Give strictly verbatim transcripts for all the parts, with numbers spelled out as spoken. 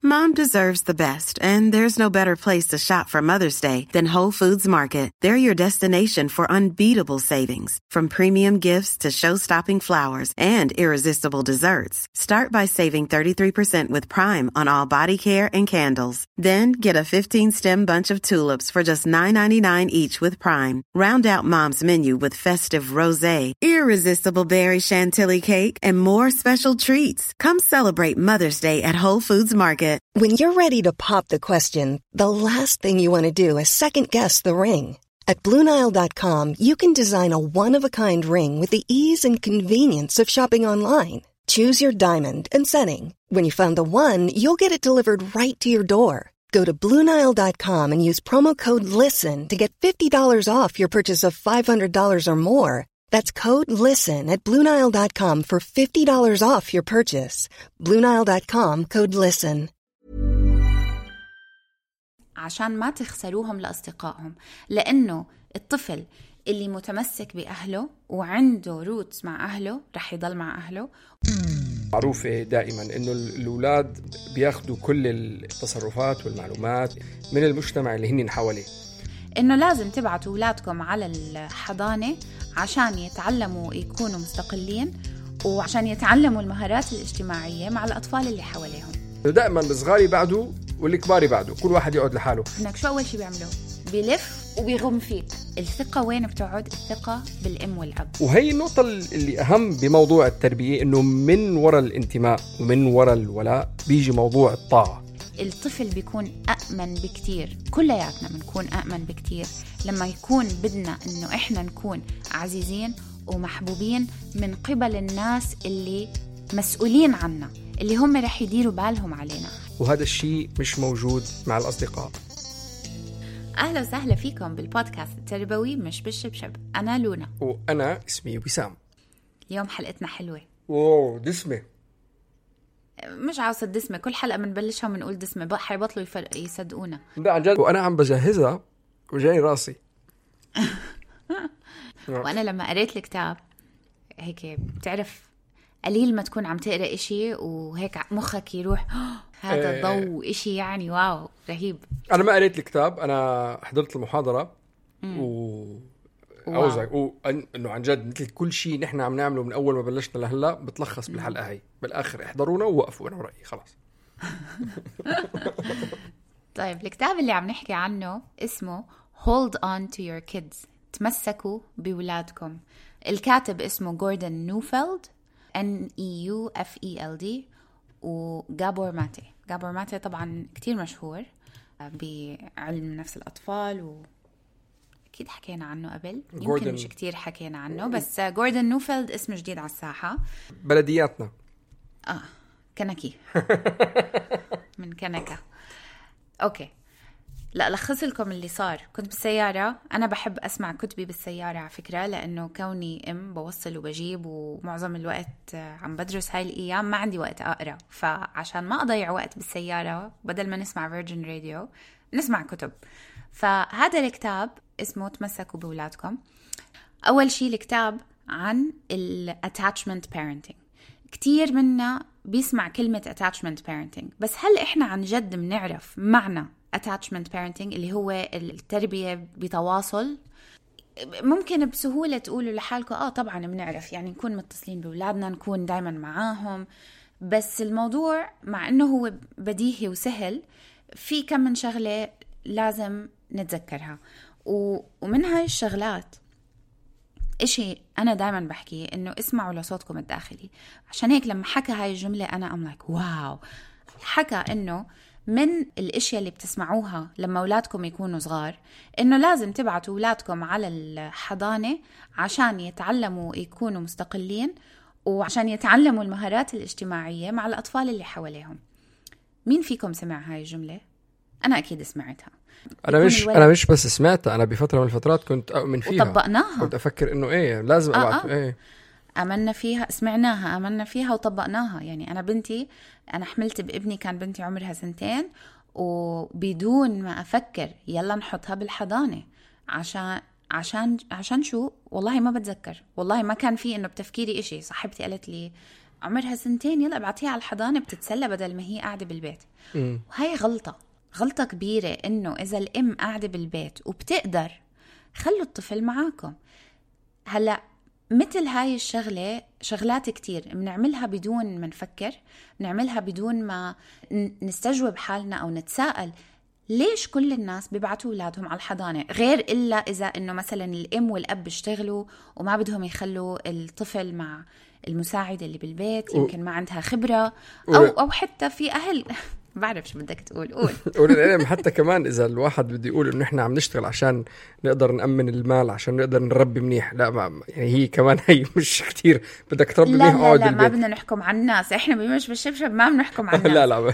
Mom deserves the best, and there's no better place to shop for Mother's Day than Whole Foods Market. They're your destination for unbeatable savings, from premium gifts to show-stopping flowers and irresistible desserts. Start by saving thirty-three percent with Prime on all body care and candles. Then get a fifteen-stem bunch of tulips for just nine ninety-nine each with Prime. Round out Mom's menu with festive rosé, irresistible berry chantilly cake, and more special treats. Come celebrate Mother's Day at Whole Foods Market. When you're ready to pop the question, the last thing you want to do is second-guess the ring. At Blue Nile dot com, you can design a one-of-a-kind ring with the ease and convenience of shopping online. Choose your diamond and setting. When you find the one, you'll get it delivered right to your door. Go to Blue Nile dot com and use promo code LISTEN to get fifty dollars off your purchase of five hundred dollars or more. That's code LISTEN at Blue Nile dot com for fifty dollars off your purchase. Blue Nile dot com, code LISTEN. عشان ما تخسروهم لأصدقائهم، لأنه الطفل اللي متمسك بأهله وعنده روتس مع أهله رح يضل مع أهله. معروفة دائما إنه الأولاد بياخدوا كل التصرفات والمعلومات من المجتمع اللي هنين حواليه. إنه لازم تبعتوا أولادكم على الحضانة عشان يتعلموا يكونوا مستقلين وعشان يتعلموا المهارات الاجتماعية مع الأطفال اللي حواليهم. دائما الصغار بعده والكبار بعده، كل واحد يقعد لحاله. هناك شو أول شيء بيعملوه؟ بيلف وبيغم فيك. الثقة وين بتقعد؟ الثقة بالأم والأب. وهي النقطة اللي أهم بموضوع التربية، إنه من وراء الانتماء ومن وراء الولاء بيجي موضوع الطاعة. الطفل بيكون أأمن بكتير، كلياتنا بنكون أأمن بكتير لما يكون بدنا إنه إحنا نكون عزيزين ومحبوبين من قبل الناس اللي مسؤولين عنا، اللي هم رح يديروا بالهم علينا. وهذا الشيء مش موجود مع الأصدقاء. أهلا وسهلا فيكم بالبودكاست التربوي مش بالشبشب. أنا لونا وأنا اسمي وسام. اليوم حلقتنا حلوة. أوه دسمة. مش عاوزة دسمة، كل حلقة منبلشها ونقول دسمة بقى حيبطلوا يصدقونا. لا عن جد، وأنا عم بجهزها وجاي راسي. وأنا لما قريت الكتاب هيك بتعرف قليل ما تكون عم تقرأ إشي وهيك مخك يروح هذا الضوء إشي يعني واو رهيب. أنا ما قريت الكتاب، أنا حضرت المحاضرة و أوزع وإنه عن جد مثل كل شيء نحن عم نعمله من أول ما بلشنا لهلا بتلخص بالحلقة هاي بالآخر. احضرونا ووقفوا، أنا ورأيي خلاص. طيب الكتاب اللي عم نحكي عنه اسمه Hold on to your kids، تمسكوا بولادكم. الكاتب اسمه جوردن نوفيلد N E U F E L D وغابور ماتي. غابور ماتي طبعا كتير مشهور بعلم نفس الأطفال وأكيد حكينا عنه قبل، يمكن مش كتير حكينا عنه، بس جوردن نوفيلد اسم جديد على الساحة. بلدياتنا آه كنكي من كنكة. أوكي لا لخص لكم اللي صار. كنت بالسيارة، أنا بحب أسمع كتبي بالسيارة على فكرة، لأنه كوني أم بوصل وبجيب ومعظم الوقت عم بدرس هاي الأيام ما عندي وقت أقرأ، فعشان ما أضيع وقت بالسيارة بدل ما نسمع فيرجن راديو نسمع كتب. فهذا الكتاب اسمه تمسكوا بولادكم. أول شيء الكتاب عن ال attachment parenting. كتير منا بيسمع كلمة attachment parenting، بس هل إحنا عن جد بنعرف معنى attachment parenting اللي هو التربية بتواصل؟ ممكن بسهولة تقولوا لحالكم آه طبعا بنعرف، يعني نكون متصلين بأولادنا، نكون دايما معاهم، بس الموضوع مع أنه هو بديهي وسهل في كم من شغلة لازم نتذكرها. ومن هاي الشغلات إشي أنا دايما بحكي إنه اسمعوا لصوتكم الداخلي. عشان هيك لما حكى هاي الجملة أنا أم لايك واو. حكى إنه من الاشياء اللي بتسمعوها لما اولادكم يكونوا صغار انه لازم تبعتوا اولادكم على الحضانة عشان يتعلموا يكونوا مستقلين وعشان يتعلموا المهارات الاجتماعية مع الاطفال اللي حواليهم. مين فيكم سمع هاي الجملة؟ انا اكيد سمعتها. انا مش انا مش بس سمعتها، انا بفترة من الفترات كنت اؤمن فيها وطبقناها. كنت افكر انه ايه لازم ابعت. آه آه. ايه آمنا فيها، سمعناها، آمنا فيها وطبقناها. يعني أنا بنتي أنا حملت بابني كان بنتي عمرها سنتين وبدون ما أفكر يلا نحطها بالحضانة عشان عشان عشان شو والله ما بتذكر، والله ما كان في إنه بتفكيري إشي. صاحبتي قالت لي عمرها سنتين يلا ابعتيها على الحضانة بتتسلى بدل ما هي قاعدة بالبيت. م. وهي غلطة غلطة كبيرة، إنه إذا الأم قاعدة بالبيت وبتقدر خلوا الطفل معاكم. هلأ مثل هاي الشغلة شغلات كتير بنعملها بدون ما نفكر، بنعملها بدون ما نستجوب حالنا أو نتساءل ليش كل الناس بيبعتوا أولادهم على الحضانة، غير إلا إذا إنه مثلا الأم والأب بيشتغلوا وما بدهم يخلوا الطفل مع المساعدة اللي بالبيت، يمكن ما عندها خبرة، أو أو حتى في أهل بعرف شو بدك تقول قول قول العلم. حتى كمان إذا الواحد بده يقول إنه إحنا عم نشتغل عشان نقدر نأمن المال، عشان نقدر نربي منيح، لا ما يعني هي كمان هي مش كتير بدك تربي منيح. لا لا, لا ما بدنا نحكم على الناس، إحنا بمش بالشبشب ما بنحكم على الناس. لا لا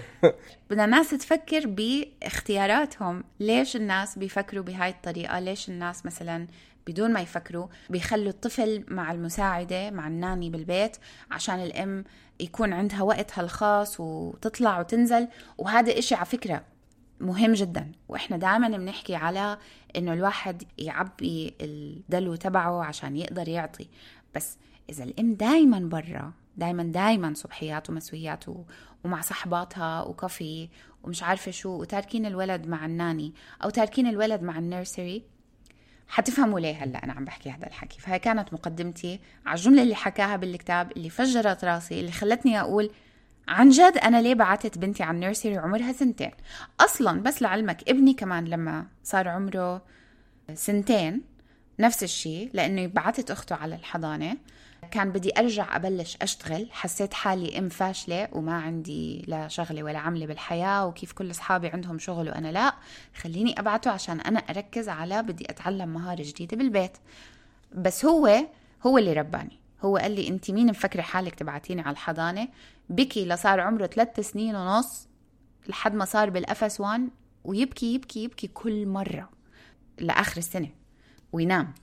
بدنا ناس تفكر باختياراتهم. ليش الناس بيفكروا بهاي الطريقة؟ ليش الناس مثلا بدون ما يفكروا بيخلوا الطفل مع المساعدة مع الناني بالبيت عشان الأم يكون عندها وقتها الخاص وتطلع وتنزل؟ وهذا إشي على فكرة مهم جدا، وإحنا دائما بنحكي على إنه الواحد يعبي الدلو تبعه عشان يقدر يعطي. بس إذا الأم دايما برا، دايما دايما صبحيات ومسويات ومع صحباتها وكافي ومش عارفة شو، وتاركين الولد مع الناني أو تاركين الولد مع النيرسري، حتفهموا ليه هلأ أنا عم بحكي هذا الحكي. فهي كانت مقدمتي على الجملة اللي حكاها بالكتاب، اللي فجرت راسي، اللي خلتني أقول عن جد أنا ليه بعتت بنتي عن نيرسري عمرها سنتين أصلا. بس لعلمك ابني كمان لما صار عمره سنتين نفس الشيء، لأنه بعتت أخته على الحضانة، كان بدي أرجع أبلش أشتغل، حسيت حالي أم فاشلة وما عندي لا شغلة ولا عملة بالحياة، وكيف كل أصحابي عندهم شغل وأنا لا، خليني أبعته عشان أنا أركز على بدي أتعلم مهارة جديدة بالبيت. بس هو هو اللي رباني، هو قال لي أنت مين مفكرة حالك تبعتيني على الحضانة؟ بكي لصار عمره ثلاث سنين ونص لحد ما صار بالأفس وان، ويبكي يبكي يبكي كل مرة لآخر السنة وينام.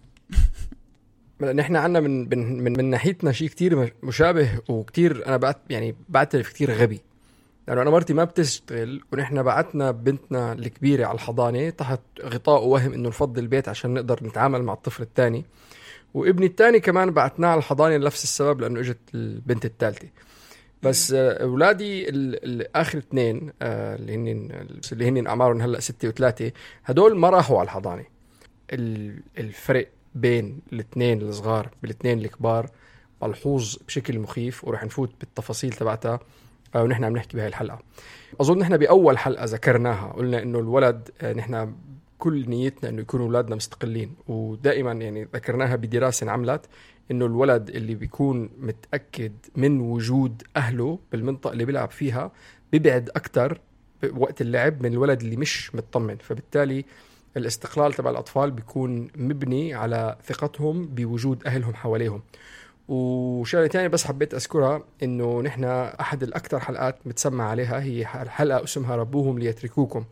نحن عنا من من من, من ناحيتنا شيء كتير مشابه، وكتير أنا بعت يعني بعترف كتير غبي، لأنه أنا مرتي ما بتشتغل، ونحن بعتنا بنتنا الكبيرة على الحضانة تحت غطاء وهم إنه نفضل البيت عشان نقدر نتعامل مع الطفل الثاني، وابني الثاني كمان بعتناه على الحضانة لنفس السبب لأنه إجت البنت الثالثة. بس أولادي الآخر اثنين اللي هن اللي هن أعمارهم هلأ ستة وثلاثة، هدول ما راحوا على الحضانة. الفرق بين الاثنين الصغار بالاثنين الكبار ملحوظ بشكل مخيف، ورح نفوت بالتفاصيل تبعتها ونحن عم نحكي بهاي الحلقة. أظن نحن بأول حلقة ذكرناها قلنا إنه الولد نحن كل نيتنا إنه يكونوا أولادنا مستقلين، ودائما يعني ذكرناها بدراسة عملت إنه الولد اللي بيكون متأكد من وجود أهله بالمنطقة اللي بيلعب فيها بيبعد أكتر وقت اللعب من الولد اللي مش مطمن. فبالتالي الاستقلال تبع الأطفال بيكون مبني على ثقتهم بوجود أهلهم حواليهم. وشغلة تانية بس حبيت أذكرها إنه نحن أحد الأكثر حلقات متسمع عليها هي حلقة اسمها ربوهم ليتركوكم،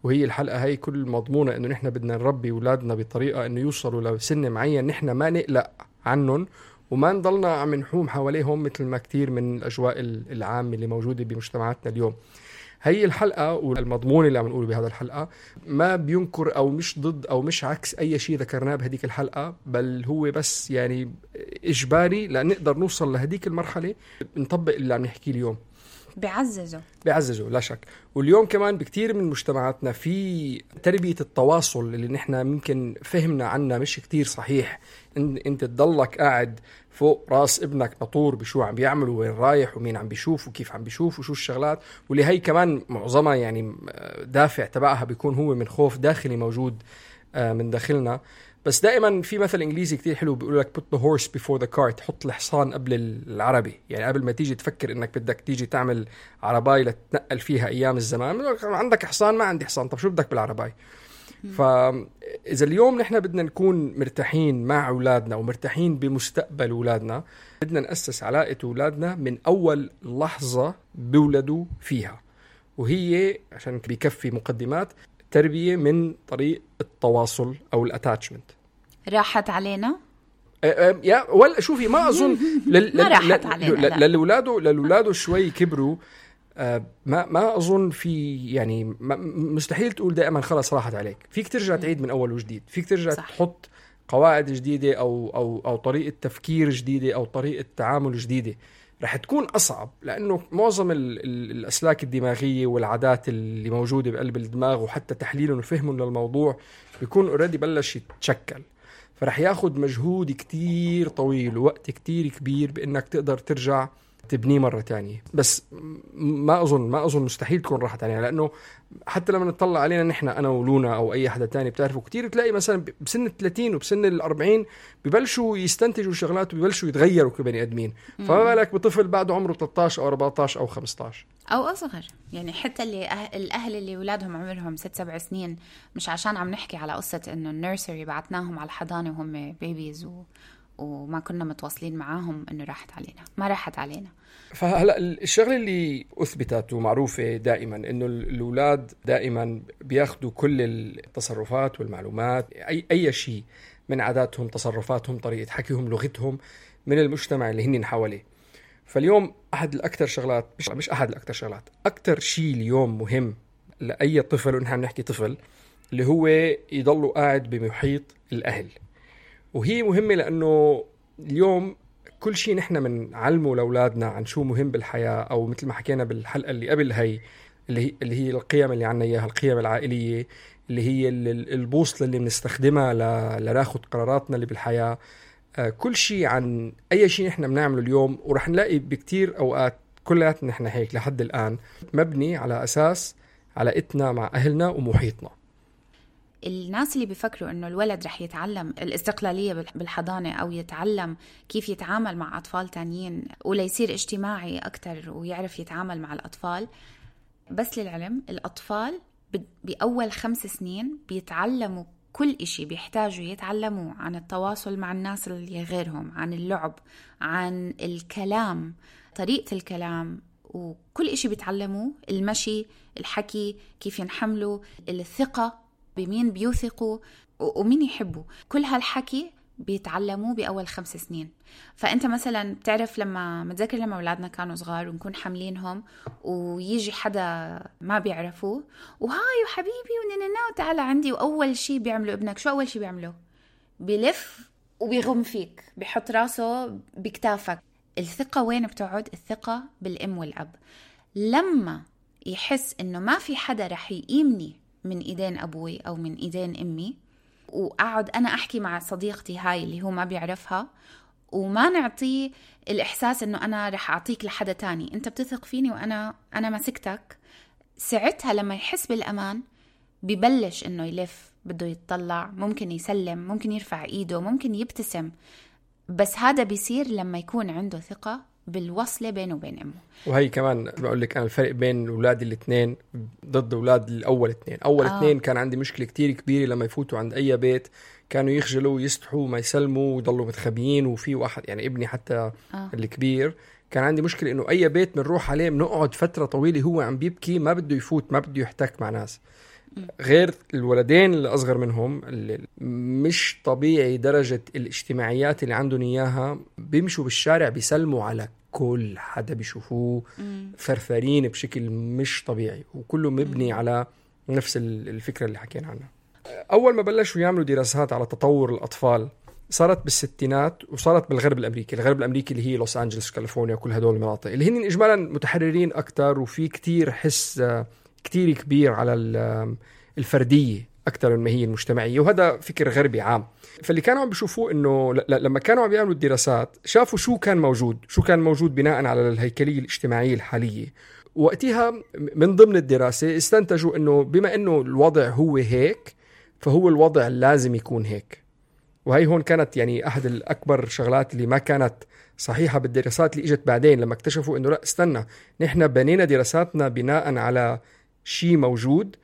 وهي الحلقة هي كل مضمونة إنه نحن بدنا نربي أولادنا بطريقة إنه يوصلوا لسن معين نحن ما نقلق عنهم وما نضلنا عم نحوم حواليهم مثل ما كتير من الأجواء العامة اللي موجودة بمجتمعاتنا اليوم. هي الحلقة والمضمون اللي عم نقوله بهذا الحلقة ما بينكر أو مش ضد أو مش عكس أي شيء ذكرناه بهديك الحلقة، بل هو بس يعني إجباري لنقدر نوصل لهديك المرحلة نطبق اللي عم نحكي اليوم. بيعززوا بيعززوا لا شك. واليوم كمان بكتير من مجتمعاتنا في تربية التواصل اللي نحن ممكن فهمنا عنها مش كتير صحيح. إن انت تضلك قاعد فوق راس ابنك نطور بشو عم بيعمل وين رايح ومين عم بيشوف وكيف عم بيشوف وشو الشغلات، واللي هي كمان معظمها يعني دافع تبعها بيكون هو من خوف داخلي موجود من داخلنا. بس دائما في مثل انجليزي كتير حلو بيقول لك put the horse before the cart، حط الحصان قبل العربي. يعني قبل ما تيجي تفكر انك بدك تيجي تعمل عرباي لتنقل فيها ايام الزمان، عندك حصان ما عندي حصان، طب شو بدك بالعرباي؟ فاذا اليوم نحن بدنا نكون مرتاحين مع اولادنا ومرتاحين بمستقبل اولادنا، بدنا نأسس علاقة اولادنا من اول لحظة بولدوا فيها، وهي عشان بيكفي مقدمات تربية من طريق التواصل أو الاتاتشمنت. راحت علينا؟ أه يا ولا شوفي ما أظن لل... ما راحت علينا للولاده للولاده شوي كبروا. أه ما ما أظن في يعني مستحيل تقول دائما خلاص راحت عليك، فيك ترجع تعيد من أول وجديد، فيك ترجع صح. تحط قواعد جديدة أو أو أو طريقة تفكير جديدة أو طريقة تعامل جديدة. رح تكون أصعب، لأنه معظم ال ال الأسلاك الدماغية والعادات اللي موجودة بقلب الدماغ وحتى تحليلهم وفهمهم للموضوع بيكون أوريدي بلش يتشكل، فرح ياخد مجهود كتير طويل ووقت كتير كبير بأنك تقدر ترجع تبنيه مرة تانية. بس ما أظن ما أظن مستحيل تكون راحت علينا، لأنه حتى لما نطلع علينا نحن أنا ولونا أو أي حدا تاني بتعرفوا كتير تلاقي مثلا بسن الثلاثين وبسن الأربعين ببلشوا يستنتجوا شغلات وببلشوا يتغيروا كبني أدمين، فما بالك بطفل بعده عمره ثلاثة عشر أو أربعة عشر أو خمسة عشر أو أصغر. يعني حتى اللي أه... الأهل اللي أولادهم عمرهم ست سبع سنين، مش عشان عم نحكي على قصة إنه النيرسري بعتناهم على الحضانة وهم بيبيز و... وما كنا متواصلين معاهم، إنه راحت علينا، ما راحت علينا. فهلا الشغله اللي اثبتت ومعروفه دائما انه الاولاد دائما بياخذوا كل التصرفات والمعلومات، اي اي شيء من عاداتهم، تصرفاتهم، طريقه حكيهم، لغتهم، من المجتمع اللي هن حواليه. فاليوم احد الاكثر شغلات مش مش احد الاكثر شغلات اكثر شيء اليوم مهم لاي طفل، ونحن عم نحكي طفل، اللي هو يضلوا قاعد بمحيط الاهل. وهي مهمه لانه اليوم كل شيء نحن بنعلمه لاولادنا عن شو مهم بالحياه، او مثل ما حكينا بالحلقه اللي قبل هي اللي هي اللي هي القيم اللي عنا اياها، القيم العائليه اللي هي البوصله اللي بنستخدمها لناخذ قراراتنا اللي بالحياه. كل شيء عن اي شيء نحن بنعمله اليوم، ورح نلاقي بكتير اوقات كلياتنا نحن هيك لحد الان مبني على اساس علاقتنا مع اهلنا ومحيطنا. الناس اللي بيفكروا إنه الولد رح يتعلم الاستقلالية بالحضانة أو يتعلم كيف يتعامل مع أطفال تانيين ولا يصير اجتماعي أكتر ويعرف يتعامل مع الأطفال، بس للعلم الأطفال بأول خمس سنين بيتعلموا كل إشي بيحتاجوا يتعلموا عن التواصل مع الناس اللي غيرهم، عن اللعب، عن الكلام، طريقة الكلام، وكل إشي بيتعلموه، المشي، الحكي، كيف ينحملوا، الثقة، بمين بيوثقوا ومين يحبوا. كل هالحكي بيتعلموه بأول خمس سنين. فأنت مثلا بتعرف لما متذكر لما أولادنا كانوا صغار ونكون حاملينهم ويجي حدا ما بيعرفوه وهاي وحبيبي ونننا وتعالى عندي، وأول شي بيعملوا ابنك شو أول شي بيعملوا؟ بيلف وبيغم فيك، بيحط راسه بكتافك. الثقة وين بتقعد؟ الثقة بالأم والأب. لما يحس إنه ما في حدا رح يقيمني من إيدين أبوي أو من إيدين أمي، وأقعد أنا أحكي مع صديقتي هاي اللي هو ما بيعرفها، وما نعطيه الإحساس إنه أنا رح أعطيك لحدا تاني، أنت بتثق فيني وأنا أنا مسكتك. ساعتها لما يحس بالأمان ببلش إنه يلف، بده يتطلع، ممكن يسلم، ممكن يرفع إيده، ممكن يبتسم. بس هذا بيصير لما يكون عنده ثقة بالوصلة بينه وبين أمه. وهي كمان بقول لك أنا الفرق بين أولاد الاثنين ضد أولاد الأول اثنين. أول آه. اثنين كان عندي مشكلة كتير كبيرة لما يفوتوا عند أي بيت كانوا يخجلوا ويستحوا ما يسلموا ويضلوا متخبيين. وفي واحد يعني ابني حتى آه. الكبير كان عندي مشكلة إنه أي بيت بنروح عليه بنقعد فترة طويلة هو عم بيبكي، ما بده يفوت، ما بده يحتك مع ناس. غير الولدين اللي أصغر منهم اللي مش طبيعي درجة الاجتماعيات اللي عندهم إياها، بيمشوا بالشارع بيسلموا على كل حدا بيشوفوه، فرفرين بشكل مش طبيعي، وكله مبني على نفس الفكرة اللي حكينا عنها. أول ما بلشوا يعملوا دراسات على تطور الأطفال صارت بالستينات، وصارت بالغرب الأمريكي. الغرب الأمريكي اللي هي لوس أنجلس، كاليفورنيا، كل هدول المناطق اللي هن إجمالا متحررين أكتر، وفي كتير حس كتير كبير على الفردية أكتر من ما هي المجتمعية، وهذا فكر غربي عام. فاللي كانوا عم بيشوفوه إنه لما كانوا عم بيعملوا الدراسات شافوا شو كان موجود شو كان موجود بناء على الهيكلية الاجتماعية الحالية. وقتها من ضمن الدراسة استنتجوا إنه بما إنه الوضع هو هيك، فهو الوضع لازم يكون هيك. وهي هون كانت يعني أحد الأكبر شغلات اللي ما كانت صحيحة بالدراسات اللي إجت بعدين، لما اكتشفوا إنه لا استنى، نحن بنينا دراساتنا بناء على شيء موجود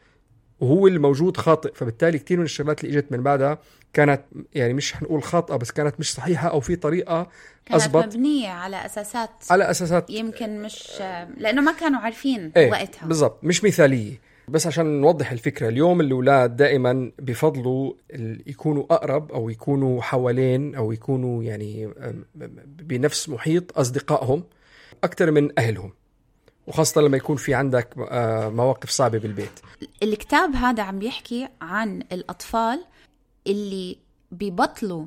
وهو الموجود خاطئ. فبالتالي كتير من الشغلات اللي اجت من بعدها كانت يعني مش هنقول خاطئة، بس كانت مش صحيحة، أو في طريقة كانت مبنية على أساسات على أساسات يمكن مش لأنه ما كانوا عارفين ايه وقتها بالضبط، مش مثالية. بس عشان نوضح الفكرة، اليوم الأولاد دائما بفضلوا يكونوا أقرب أو يكونوا حوالين أو يكونوا يعني بنفس محيط أصدقائهم أكتر من أهلهم، وخاصة لما يكون في عندك مواقف صعبة بالبيت. الكتاب هذا عم بيحكي عن الأطفال اللي بيبطلوا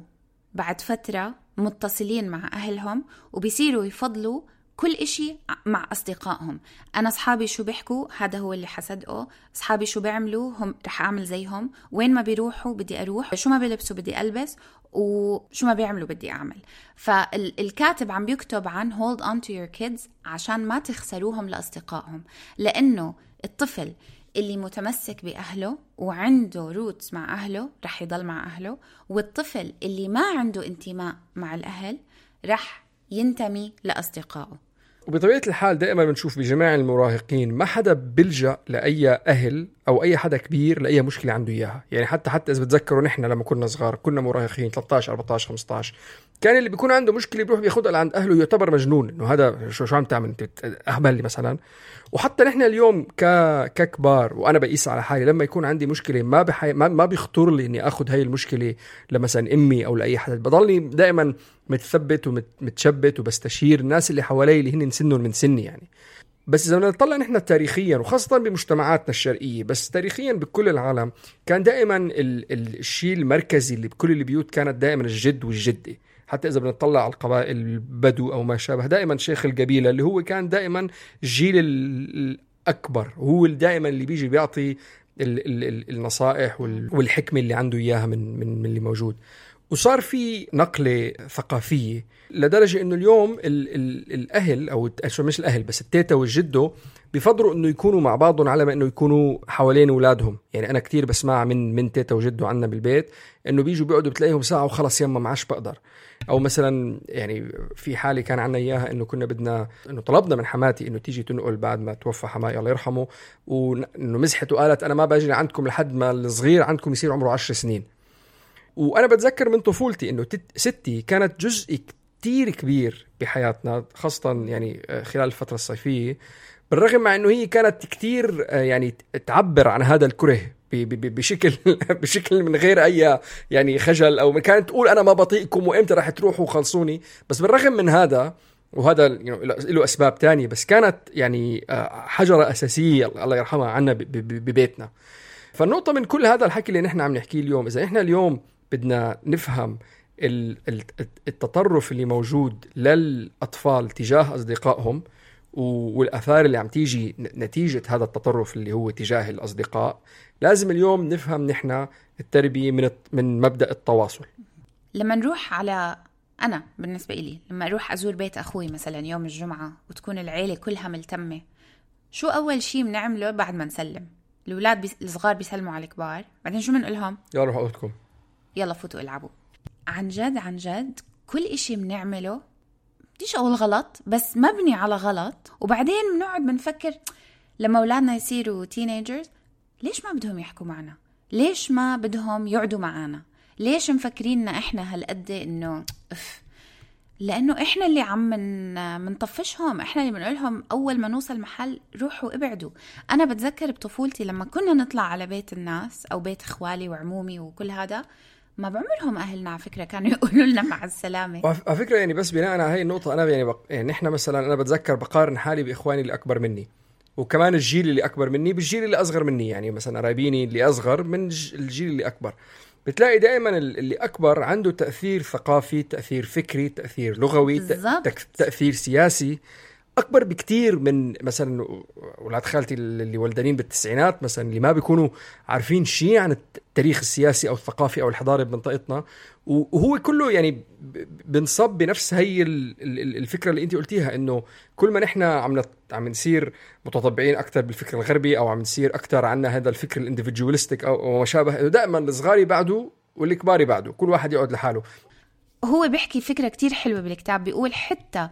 بعد فترة متصلين مع أهلهم وبيصيروا يفضلوا كل إشي مع أصدقائهم. أنا أصحابي شو بيحكوا هذا هو اللي حصدقه، أصحابي شو بيعملوا هم رح أعمل زيهم، وين ما بيروحوا بدي أروح، شو ما بيلبسوا بدي ألبس، وشو ما بيعملوا بدي أعمل. فالكاتب عم بيكتب عن hold on to your kids عشان ما تخسروهم لأصدقائهم، لأنه الطفل اللي متمسك بأهله وعنده روتس مع أهله رح يضل مع أهله، والطفل اللي ما عنده انتماء مع الأهل رح ينتمي لأصدقائه. وبطبيعة الحال دائما بنشوف بجميع المراهقين ما حدا بلجأ لأي أهل أو أي حدا كبير لأي مشكلة عنده إياها. يعني حتى حتى إذا بتذكروا نحن لما كنا صغار كنا مراهقين ثلاثة عشر أربعة عشر خمسة عشر، كان اللي بيكون عنده مشكلة بيروح بياخدها لعند أهله يعتبر مجنون، إنه هذا شو شو عم تعمل أنت أهبل لي مثلا. وحتى نحن اليوم ك ككبار وأنا بقيس على حالي لما يكون عندي مشكلة ما بحي... ما... ما بيخطر لي إني أخذ هاي المشكلة لمثلا أمي أو لأي حدا، بضلني دائما متثبت ومتشبت وبستشير الناس اللي حوالي اللي هن سنهم من سني يعني. بس إذا بدنا نطلع نحن تاريخيا وخاصة بمجتمعاتنا الشرقية، بس تاريخيا بكل العالم كان دائما ال... ال... الشيء المركزي اللي بكل البيوت كانت دائما الجد والجدة. حتى إذا بنطلع على القبائل البدو أو ما شابه، دائما شيخ القبيلة اللي هو كان دائما الجيل الأكبر هو دائما اللي بيجي بيعطي ال ال ال النصائح والحكمة اللي عنده إياها من, من, من اللي موجود. وصار في نقلة ثقافية لدرجة إنه اليوم ال ال الأهل أو مش الأهل بس التيتا والجدو بيفضلوا إنه يكونوا مع بعضهم على ما إنه يكونوا حوالين أولادهم. يعني أنا كتير بسمع من من تيتا وجدو عنا بالبيت إنه بيجوا بيقعدوا بتلاقيهم ساعة وخلص يما معاش بقدر. أو مثلا يعني في حالة كان عنا إياها إنه كنا بدنا إنه طلبنا من حماتي إنه تيجي تنقل بعد ما توفى حماي الله يرحمه، وإنه مزحت وقالت أنا ما باجي عندكم لحد ما الصغير عندكم يصير عمره عشر سنين. وأنا بتذكر من طفولتي إنه ستي كانت جزء كتير كبير بحياتنا، خاصة يعني خلال الفترة الصيفية، بالرغم مع إنه هي كانت كتير يعني تعبر عن هذا الكره بشكل بشكل من غير أي يعني خجل، أو كانت تقول أنا ما بطيئكم وإمتى راح تروحوا وخلصوني. بس بالرغم من هذا، وهذا له أسباب تانية، بس كانت يعني حجرة أساسية الله يرحمها عنا ببيتنا. فالنقطة من كل هذا الحكي اللي نحن عم نحكيه اليوم، إذا إحنا اليوم بدنا نفهم التطرف اللي موجود للأطفال تجاه أصدقائهم والآثار اللي عم تيجي نتيجة هذا التطرف اللي هو تجاه الأصدقاء، لازم اليوم نفهم نحن التربية من من مبدأ التواصل. لما نروح على أنا بالنسبة إلي لما أروح أزور بيت أخوي مثلا يوم الجمعة وتكون العيلة كلها ملتمة، شو أول شيء بنعمله بعد ما نسلم؟ الأولاد بي... الصغار بيسلموا على الكبار، بعدين شو بنقولهم؟ يلا روحوا أوضتكم، يلا فوتوا العبوا. عن جد عن جد كل إشي بنعمله بديش أقول غلط بس مبني على غلط، وبعدين بنقعد بنفكر لما أولادنا يصيروا تينيجرز ليش ما بدهم يحكوا معنا؟ ليش ما بدهم يقعدوا معنا؟ ليش مفكريننا إحنا هالقد إنه أف؟ لأنه إحنا اللي عم من منطفشهم، إحنا اللي بنقولهم أول ما نوصل محل روحوا ابعدوا. أنا بتذكر بطفولتي لما كنا نطلع على بيت الناس أو بيت إخوالي وعمومي وكل هذا، ما بعمرهم أهلنا على فكرة كانوا يقولوا لنا مع السلامة. على فكرة يعني بس بناء على هاي النقطة أنا يعني, بق... يعني نحن مثلا أنا بتذكر بقارن حالي بإخواني اللي أكبر مني، وكمان الجيل اللي أكبر مني بالجيل اللي أصغر مني. يعني مثلا قرايبيني اللي أصغر من الجيل اللي أكبر، بتلاقي دائما اللي أكبر عنده تأثير ثقافي، تأثير فكري، تأثير لغوي، بالزبط. تأثير سياسي أكبر بكتير من مثلا ولاد خالتي اللي ولدانين بالتسعينات مثلا، اللي ما بيكونوا عارفين شيء عن التاريخ السياسي أو الثقافي أو الحضاري بمنطقتنا. وهو كله يعني بنصب بنفس هي الفكرة اللي أنت قلتيها، إنه كل ما نحن عم عم نصير متطبعين أكتر بالفكر الغربي أو عم نصير أكتر عنا هذا الفكر الانديفيديولستيك أو ما شابه، إنه دائما الصغار بعده والكبار بعده، كل واحد يقعد لحاله. هو بيحكي فكرة كتير حلوة بالكتاب، بيقول حتى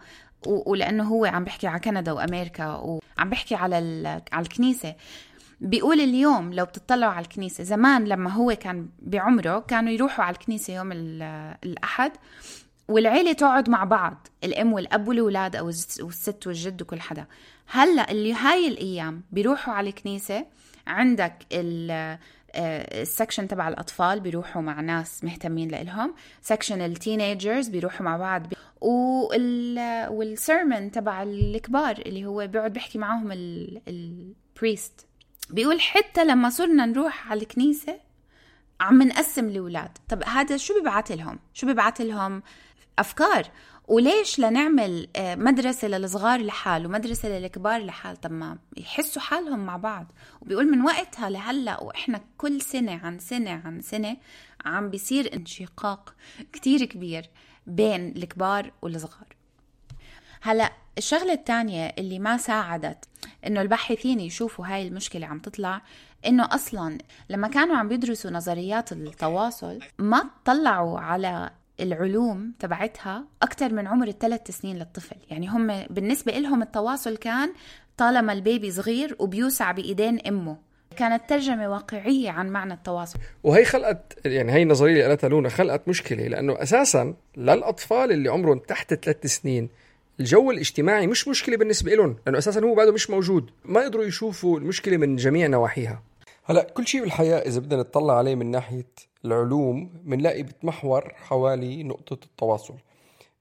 ولأنه هو عم بيحكي على كندا وأمريكا وعم بيحكي على على الكنيسة، بيقول اليوم لو بتطلعوا على الكنيسة، زمان لما هو كان بعمره كانوا يروحوا على الكنيسة يوم الأحد والعيلة تقعد مع بعض، الأم والأب والأولاد أو الست والجد وكل حدا. هلأ اللي هاي الأيام بيروحوا على الكنيسة، عندك السكشن تبع الأطفال بيروحوا مع ناس مهتمين لإلهم، سكشن التينيجرز بيروحوا مع بعض، والسيرمن تبع الكبار اللي هو بيقعد بيحكي معهم البريست. بيقول حتى لما صرنا نروح على الكنيسة عم نقسم الأولاد. طب هذا شو بيبعت لهم؟ شو بيبعت لهم؟ أفكار. وليش لنعمل مدرسة للصغار لحال ومدرسة للكبار لحال؟ طب ما يحسوا حالهم مع بعض. وبيقول من وقتها لهلأ وإحنا كل سنة عن سنة عن سنة عم بيصير انشقاق كتير كبير بين الكبار والصغار. هلأ الشغلة الثانية اللي ما ساعدت إنه الباحثين يشوفوا هاي المشكلة عم تطلع، إنه أصلاً لما كانوا عم بيدرسوا نظريات التواصل ما طلعوا على العلوم تبعتها أكتر من عمر الثلاث سنين للطفل. يعني هم بالنسبة لهم التواصل كان طالما البيبي صغير وبيوسع بإيدين أمه. كانت ترجمة واقعية عن معنى التواصل. وهي خلقت، يعني هي النظرية اللي قالتها لونا خلقت مشكلة، لأنه أساساً للأطفال اللي عمرهم تحت ثلاث سنين الجو الاجتماعي مش مشكلة بالنسبة لهم، لأنه أساساً هو بعده مش موجود، ما يقدروا يشوفوا المشكلة من جميع نواحيها. هلأ كل شيء بالحياة إذا بدنا نطلع عليه من ناحية العلوم منلاقي بتمحور حوالي نقطة التواصل،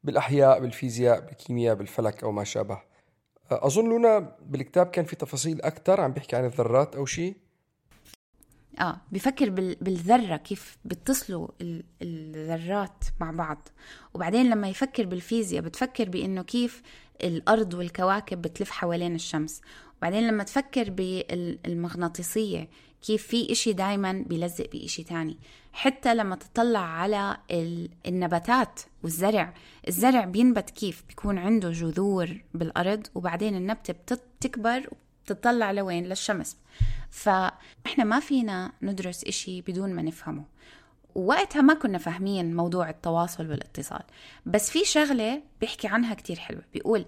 بالأحياء، بالفيزياء، بالكيمياء، بالفلك أو ما شابه. أظن لونا بالكتاب كان في تفاصيل أكتر عم بيحكي عن الذرات أو شيء. آه بيفكر بالذرة كيف بتصلوا الذرات مع بعض. وبعدين لما يفكر بالفيزياء بتفكر بأنه كيف الأرض والكواكب بتلف حوالين الشمس. وبعدين لما تفكر بالمغناطيسية كيف في إشي دايما بيلزق بإشي تاني. حتى لما تطلع على النباتات والزرع، الزرع بينبت كيف بيكون عنده جذور بالأرض وبعدين النبتة بتكبر وبتطلع لوين؟ للشمس. فإحنا ما فينا ندرس إشي بدون ما نفهمه. ووقتها ما كنا فاهمين موضوع التواصل والاتصال. بس في شغلة بيحكي عنها كتير حلوة، بيقول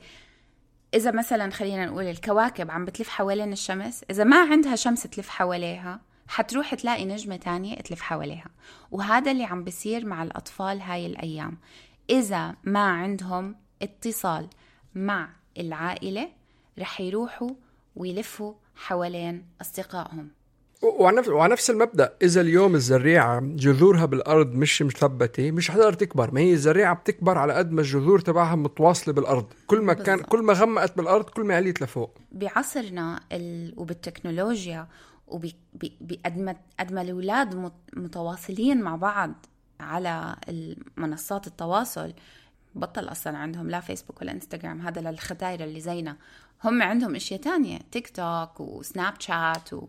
إذا مثلا خلينا نقول الكواكب عم بتلف حوالين الشمس، إذا ما عندها شمس تلف حواليها حتروح تلاقي نجمة تانية تلف حواليها. وهذا اللي عم بيصير مع الأطفال هاي الأيام. إذا ما عندهم اتصال مع العائلة رح يروحوا ويلفوا حوالين أصدقائهم. وعلى نفس المبدأ، إذا اليوم الزريعة جذورها بالأرض مش مثبتة مش حتقدر تكبر. ما هي الزريعة بتكبر على قد ما الجذور تبعها متواصلة بالأرض. كل ما كان كل ما غمقت بالأرض كل ما عليت لفوق. بعصرنا ال... وبالتكنولوجيا وبقد ما الأولاد متواصلين مع بعض على منصات التواصل، بطل أصلا عندهم لا فيسبوك ولا إنستغرام، هذا للختايرة اللي زينا. هم عندهم إشياء تانية، تيك توك وسناب شات و...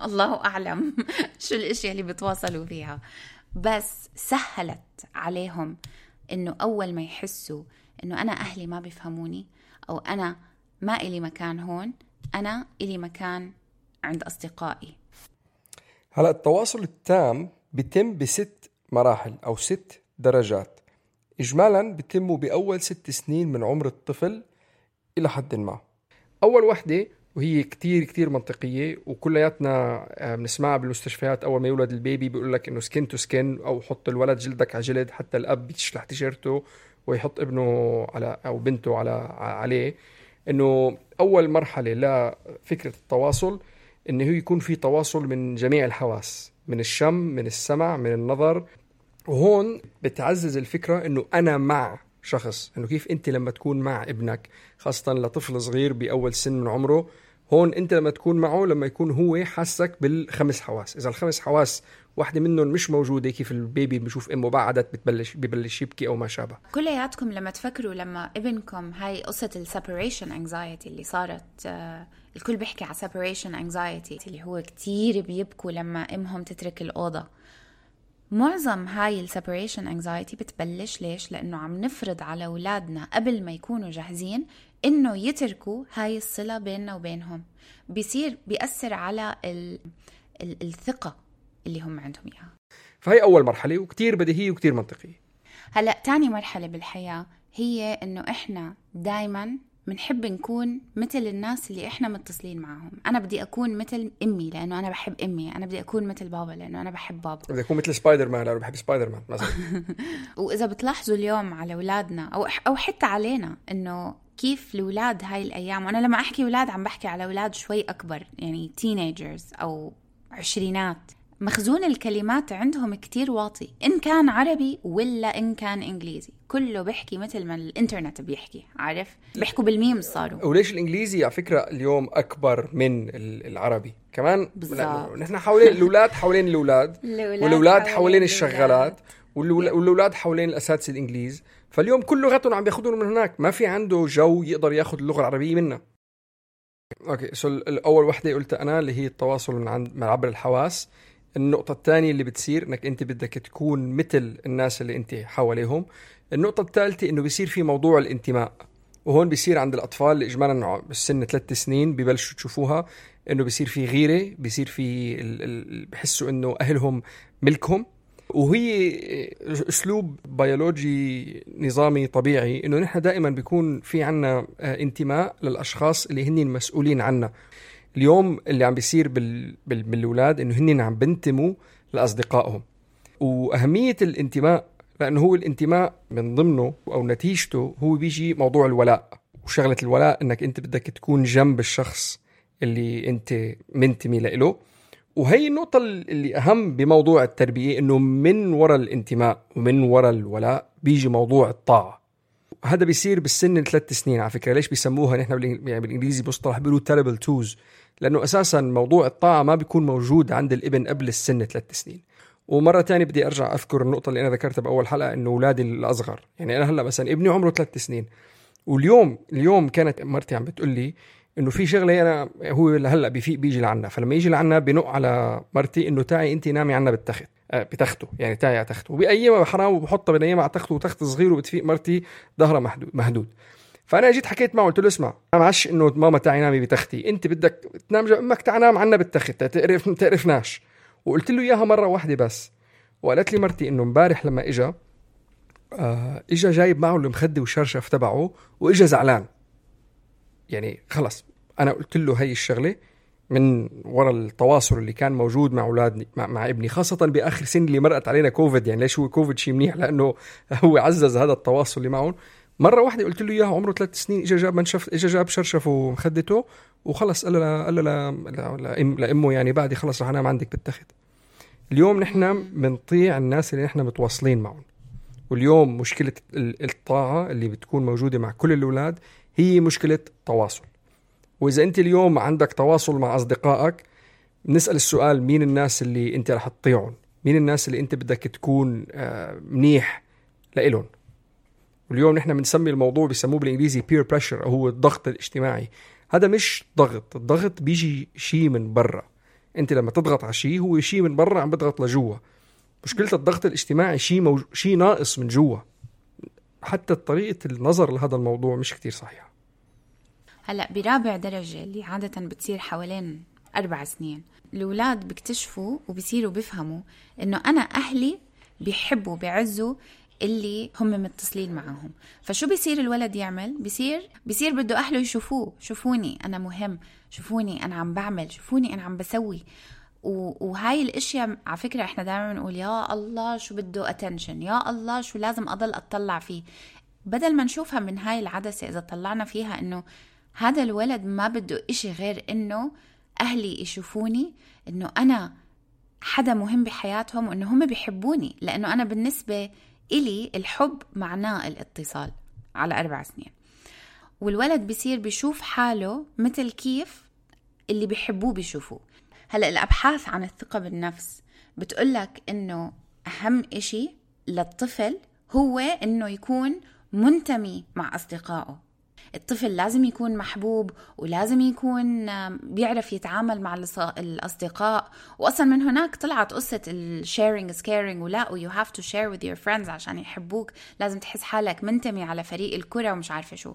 الله أعلم شو الاشياء اللي بتواصلوا فيها. بس سهلت عليهم إنه أول ما يحسوا إنه أنا أهلي ما بيفهموني أو أنا ما إلي مكان هون، أنا إلي مكان عند أصدقائي. هلأ التواصل التام بيتم بست مراحل أو ست درجات إجمالا، بيتموا بأول ست سنين من عمر الطفل إلى حد ما. أول وحدة وهي كتير كتير منطقية وكلياتنا بنسمعها بالمستشفيات، أول ما يولد البيبي بيقول لك إنه سكين تو سكين، أو حط الولد جلدك على جلد. حتى الأب بيشلح تيشيرته ويحط ابنه على أو بنته على عليه. إنه أول مرحلة لفكرة التواصل إنه هو يكون في تواصل من جميع الحواس، من الشم، من السمع، من النظر. وهون بتعزز الفكرة إنه أنا مع شخص، إنه كيف أنت لما تكون مع ابنك، خاصة لطفل صغير بأول سن من عمره، هون أنت لما تكون معه لما يكون هو حاسك بالخمس حواس. إذا الخمس حواس واحدة منهم مش موجودة، كيف البيبي بيشوف أمه بعدت بتبلش ببلش يبكي أو ما شابه. كلياتكم لما تفكروا لما ابنكم، هاي قصة السيبريشن انكزايتي اللي صارت، آه الكل بيحكي على سيبريشن انكزايتي اللي هو كتير بيبكوا لما امهم تترك الأوضة. معظم هاي السيبريشن انكزايتي بتبلش ليش؟ لأنه عم نفرض على أولادنا قبل ما يكونوا جاهزين إنه يتركوا هاي الصلة بيننا وبينهم. بيصير بيأثر على ال... ال... الثقة اللي هم عندهم إياها. فهي أول مرحلة وكتير بديهية وكتير منطقية. هلأ تاني مرحلة بالحياة هي إنه إحنا دايماً بنحب نكون مثل الناس اللي إحنا متصلين معهم. أنا بدي أكون مثل أمي لأنه أنا بحب أمي، أنا بدي أكون مثل بابا لأنه أنا بحب بابا، بدي أكون مثل سبايدر مان لأنه بحب سبايدر مان مثلا. وإذا بتلاحظوا اليوم على أولادنا أو أو حتى علينا إنه كيف الأولاد هاي الأيام، وأنا لما أحكي أولاد عم بحكي على أولاد شوي أكبر، يعني تينيجرز أو عشرينات، مخزون الكلمات عندهم كتير واطي، إن كان عربي ولا إن كان إنجليزي، كله بيحكي مثل ما الإنترنت بيحكي، عارف؟ بيحكوا بالميم صاروا. وليش الإنجليزي على فكرة اليوم أكبر من العربي كمان؟ نحن حوالين الأولاد، حوالين الأولاد والأولاد حوالين الشغالات والأولاد حوالين الأساتذة الإنجليز، فاليوم كل لغتهم عم بياخدون من هناك، ما في عنده جو يقدر ياخد اللغة العربية منها. أوكي، سو الأول وحدة قلتها أنا اللي هي التواصل من عند من عبر الحواس. النقطة الثانية اللي بتصير إنك أنت بدك تكون مثل الناس اللي أنت حواليهم. النقطة الثالثة إنه بيصير في موضوع الانتماء، وهون بيصير عند الأطفال اللي إجمالا بالسن ثلاث سنين ببلشوا تشوفوها، إنه بيصير في غيرة، بيصير في ال... ال... بحسوا إنه أهلهم ملكهم. وهي أسلوب بيولوجي نظامي طبيعي إنه نحن دائما بيكون في عنا انتماء للأشخاص اللي هن المسؤولين عنا. اليوم اللي عم بيصير بال... بال... بالأولاد إنه هن عم بنتموا لأصدقائهم. وأهمية الانتماء لأنه هو الانتماء من ضمنه أو نتيجته هو بيجي موضوع الولاء، وشغلة الولاء إنك أنت بدك تكون جنب الشخص اللي أنت منتمي له. وهي النقطة اللي أهم بموضوع التربية، إنه من وراء الانتماء ومن وراء الولاء بيجي موضوع الطاعة. هذا بيصير بالسن ثلاث سنين على فكرة. ليش بيسموها نحن بالإنجليزي مصطلح بيقولوا terrible twos؟ لأنه أساسا موضوع الطاعة ما بيكون موجود عند الابن قبل السن ثلاث سنين. ومرة تانية بدي أرجع أذكر النقطة اللي أنا ذكرتها بأول حلقة، إنه أولادي الأصغر، يعني أنا هلأ مثلا ابني عمره ثلاث سنين، واليوم اليوم كانت مرتي عم بتقول لي إنه في شغلة أنا هو هلأ بيفيق بيجي لعنا، فلما يجي لعنا بنق على مرتي إنه تعي أنت نامي عنا بالتخت، آه بتخته، يعني تعي على تخته، وبأيامها حرام وبحطها بنيمها على تخته، وتخت صغير، وبتفيق مرتي ظهرها محدود مهدود. فأنا جيت حكيت معه قلت له اسمع، أنا معش إنه ماما تعي نامي بتختي، أنت بدك تنام جنب أمك، تعي نام عنا بالتخت، تعرف تعرفناش. وقلت له إياها مرة واحدة بس. وقالت لي مرتي إنه مبارح لما إجا آه إجا جايب معه المخدة والشرشف تبعه، وإجا زعلان. يعني خلص أنا قلت له هاي الشغلة من وراء التواصل اللي كان موجود مع أولادني مع, مع ابني، خاصة بآخر سنة اللي مرقت علينا كوفيد. يعني ليش هو كوفيد شيء منيح؟ لأنه هو عزز هذا التواصل اللي معهم. مرة واحدة قلت له إياها عمره ثلاث سنين، إجا جاب منشف، إجا جاب شرشف ومخدته وخلص. قال له قال له لأمه يعني بعدي خلص رح أنام عندك بالتخت. اليوم نحن بنطيع الناس اللي نحن متواصلين معهم. واليوم مشكلة الطاعة اللي بتكون موجودة مع كل الأولاد هي مشكلة تواصل. وإذا أنت اليوم عندك تواصل مع أصدقائك، نسأل السؤال مين الناس اللي أنت رح تطيعهم، مين الناس اللي أنت بدك تكون منيح لإلهم. واليوم نحن بنسمي الموضوع بيسموه بالإنجليزي peer pressure، هو الضغط الاجتماعي. هذا مش ضغط، الضغط بيجي شيء من برا. أنت لما تضغط على شيء هو شيء من برا عم بضغط لجوا. مشكلة الضغط الاجتماعي شيء موج... شيء ناقص من جوا. حتى طريقة النظر لهذا الموضوع مش كتير صحيحة. هلأ برابع درجة اللي عادة بتصير حوالين أربع سنين، الأولاد بيكتشفوا وبيصيروا بيفهموا إنه أنا أهلي بيحبوا بيعزوا اللي هم متصلين معهم. فشو بيصير الولد يعمل؟ بيصير بيصير بده أهله يشوفوه، شوفوني أنا مهم، شوفوني أنا عم بعمل، شوفوني أنا عم بسوي. وهاي الاشياء على فكرة احنا دائما نقول يا الله شو بده attention، يا الله شو لازم اضل اطلع فيه، بدل ما نشوفها من هاي العدسة. اذا طلعنا فيها انه هذا الولد ما بده اشي غير انه اهلي يشوفوني انه انا حدا مهم بحياتهم، وانه هم بيحبوني، لانه انا بالنسبة الي الحب معناه الاتصال على اربع سنين. والولد بيصير بيشوف حاله مثل كيف اللي بيحبوه بيشوفوه. هلأ الأبحاث عن الثقة بالنفس بتقولك إنه أهم إشي للطفل هو إنه يكون منتمي مع أصدقائه. الطفل لازم يكون محبوب، ولازم يكون بيعرف يتعامل مع الأصدقاء. وأصلا من هناك طلعت قصة ال sharing is caring، ولا you have to share with your friends عشان يحبوك، لازم تحس حالك منتمي على فريق الكرة ومش عارفة شو.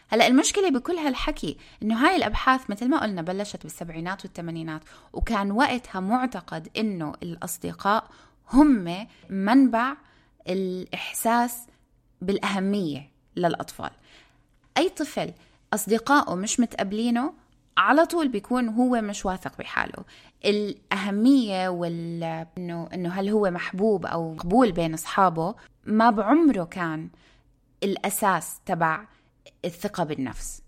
هلأ المشكلة بكل هالحكي إنه هاي الأبحاث مثل ما قلنا بلشت بالسبعينات والثمانينات، وكان وقتها معتقد إنه الأصدقاء هم منبع الإحساس بالأهمية للأطفال. أي طفل أصدقائه مش متقبلينه على طول بيكون هو مش واثق بحاله. الأهمية وال إنه إنه هل هو محبوب أو قبول بين أصحابه ما بعمره كان الأساس تبع الثقة بالنفس.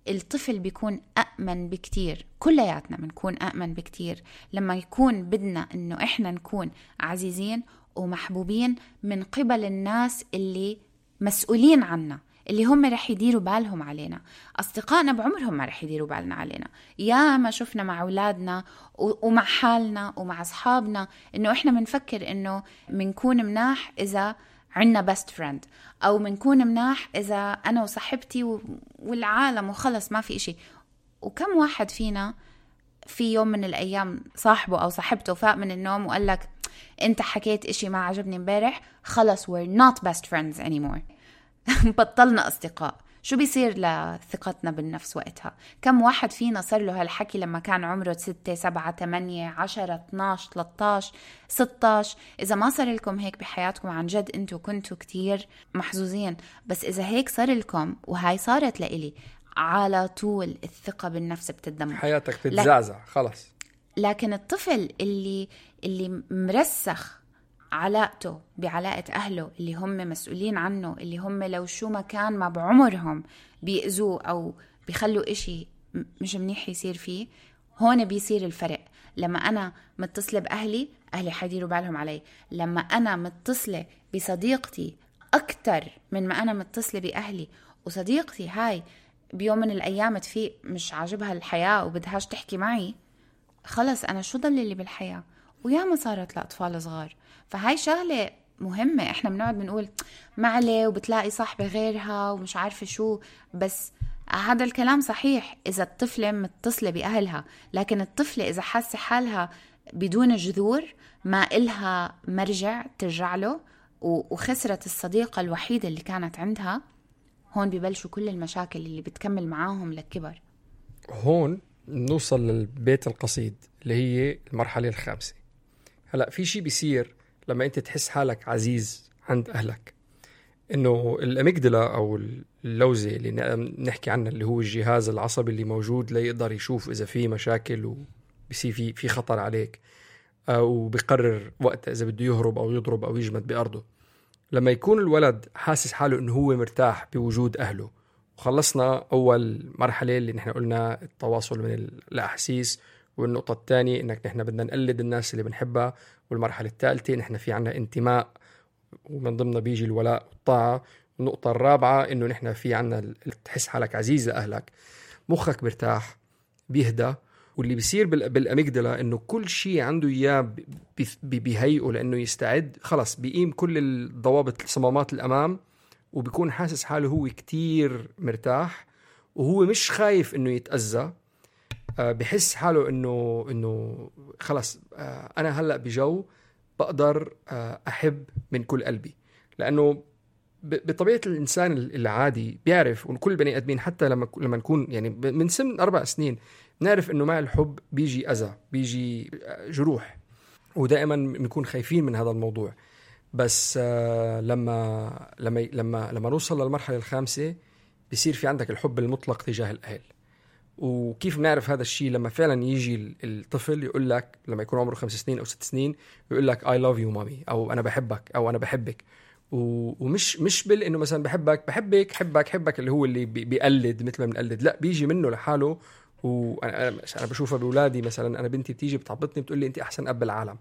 الطفل بيكون أأمن بكتير، كلياتنا بنكون أأمن بكتير لما يكون بدنا إنه إحنا نكون عزيزين ومحبوبين من قبل الناس اللي مسؤولين عنا، اللي هم رح يديروا بالهم علينا. أصدقائنا بعمرهم ما رح يديروا بالنا علينا. يا ما شفنا مع أولادنا ومع حالنا ومع أصحابنا إنه إحنا منفكر إنه منكون مناح إذا عنا best friend، أو منكون مناح إذا أنا وصاحبتي والعالم وخلص ما في إشي. وكم واحد فينا في يوم من الأيام صاحبه أو صاحبته فاق من النوم وقال لك أنت حكيت إشي ما عجبني مبارح، خلص we're not best friends anymore. بطلنا أصدقاء. شو بيصير لثقتنا بالنفس وقتها؟ كم واحد فينا صار له هالحكي لما كان عمره ستة سبعة تمانية عشرة اثناش ثلاثة عشر ستة عشر؟ إذا ما صار لكم هيك بحياتكم عن جد أنتوا كنتوا كتير محظوظين، بس إذا هيك صار لكم وهاي صارت لإلي، على طول الثقة بالنفس بتدمر، حياتك تتزعزع خلص. لكن الطفل اللي اللي مرسخ علاقته بعلاقة أهله اللي هم مسؤولين عنه، اللي هم لو شو ما كان ما بعمرهم بيأذوه أو بيخلوا إشي مش منيح يصير فيه، هون بيصير الفرق. لما أنا متصلة بأهلي، أهلي حيديروا بالهم علي. لما أنا متصلة بصديقتي أكتر من ما أنا متصلة بأهلي، وصديقتي هاي بيوم من الأيام تفيق مش عاجبها الحياة وبدهاش تحكي معي، خلص أنا شو ضل لي بالحياة؟ وياما صارت لأطفال صغار. فهاي شغلة مهمة. إحنا بنقعد بنقول معلي وبتلاقي صاحبة غيرها ومش عارفة شو، بس هذا الكلام صحيح إذا الطفلة متصلة بأهلها. لكن الطفلة إذا حاسة حالها بدون جذور، ما إلها مرجع ترجع له، وخسرت الصديقة الوحيدة اللي كانت عندها، هون ببلشوا كل المشاكل اللي بتكمل معاهم للكبر. هون نوصل للبيت القصيد اللي هي المرحلة الخامسة. هلأ في شيء بيصير لما أنت تحس حالك عزيز عند أهلك، إنه الأميجدلا أو اللوزة اللي نحكي عنها، اللي هو الجهاز العصبي اللي موجود ليقدر يشوف إذا في مشاكل وبيصير في في خطر عليك، أو بيقرر وقت إذا بده يهرب أو يضرب أو يجمد بأرضه. لما يكون الولد حاسس حاله إنه هو مرتاح بوجود أهله، وخلصنا أول مرحلة اللي نحن قلنا التواصل من الأحاسيس، والنقطة الثانية إنك نحن بدنا نقلد الناس اللي بنحبها، والمرحلة الثالثة نحن في عنا انتماء ومن ضمنها بيجي الولاء والطاعة، والنقطة الرابعة إنه نحن في عنا تحس حالك عزيز لأهلك، مخك برتاح بيهدى. واللي بيصير بالأميجدلا إنه كل شيء عنده إياه بيهيئه لأنه يستعد، خلص بيقيم كل الضوابط الصمامات الأمام، وبيكون حاسس حاله هو كتير مرتاح وهو مش خايف إنه يتأذى. آه بحس حاله إنه إنه خلص آه أنا هلأ بجو بقدر آه أحب من كل قلبي. لأنه بطبيعة الإنسان العادي بيعرف، وكل بني آدمين حتى لما لما نكون يعني من سن أربع سنين نعرف إنه مع الحب بيجي أذى، بيجي جروح، ودائما بنكون خايفين من هذا الموضوع. بس آه لما لما لما لما نوصل للمرحلة الخامسة بيصير في عندك الحب المطلق تجاه الأهل. وكيف بنعرف هذا الشيء؟ لما فعلا يجي الطفل يقول لك لما يكون عمره خمس سنين أو ست سنين يقول لك I love you mommy، أو أنا بحبك، أو أنا بحبك. ومش مش بال إنه مثلا بحبك بحبك حبك حبك اللي هو اللي بيقلد مثل ما بنقلد، لا بيجي منه لحاله. وأنا أنا بشوفها بأولادي، مثلا أنا بنتي بتيجي بتعبطني بتقول لي أنت أحسن أب بالعالم.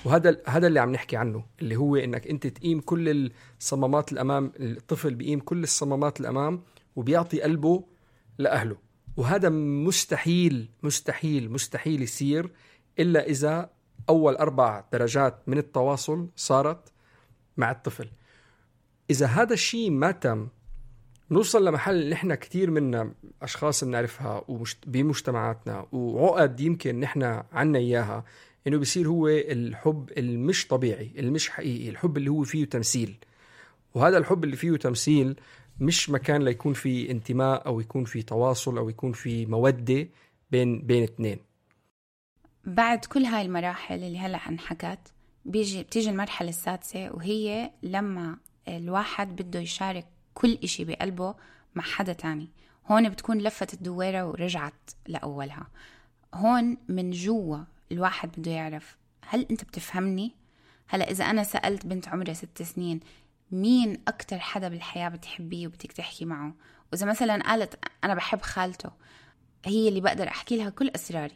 وهذا هذا اللي عم نحكي عنه، اللي هو إنك أنت تقيم كل الصمامات الأمام. الطفل بيقيم كل الصمامات الأمام وبيعطي قلبه لأهله. وهذا مستحيل مستحيل مستحيل يصير إلا إذا أول أربع درجات من التواصل صارت مع الطفل. إذا هذا الشيء ما تم، نوصل لمحل اللي إحنا كتير منا أشخاص بنعرفها بمجتمعاتنا وعقد يمكن نحن عنا إياها، إنه بيصير هو الحب المش طبيعي، المش حقيقي، الحب اللي هو فيه تمثيل. وهذا الحب اللي فيه تمثيل مش مكان ليكون فيه انتماء أو يكون فيه تواصل أو يكون فيه مودة بين بين اثنين. بعد كل هاي المراحل اللي هلأ انحكت، بيجي بتيجي المرحلة السادسة، وهي لما الواحد بده يشارك كل إشي بقلبه مع حدا تاني. هون بتكون لفت الدويرة ورجعت لأولها. هون من جوا الواحد بده يعرف، هل أنت بتفهمني؟ هلأ إذا أنا سألت بنت عمرها ست سنين مين أكتر حدا بالحياة بتحبيه وبدك تحكي معه، وإذا مثلا قالت أنا بحب خالته، هي اللي بقدر أحكي لها كل أسراري،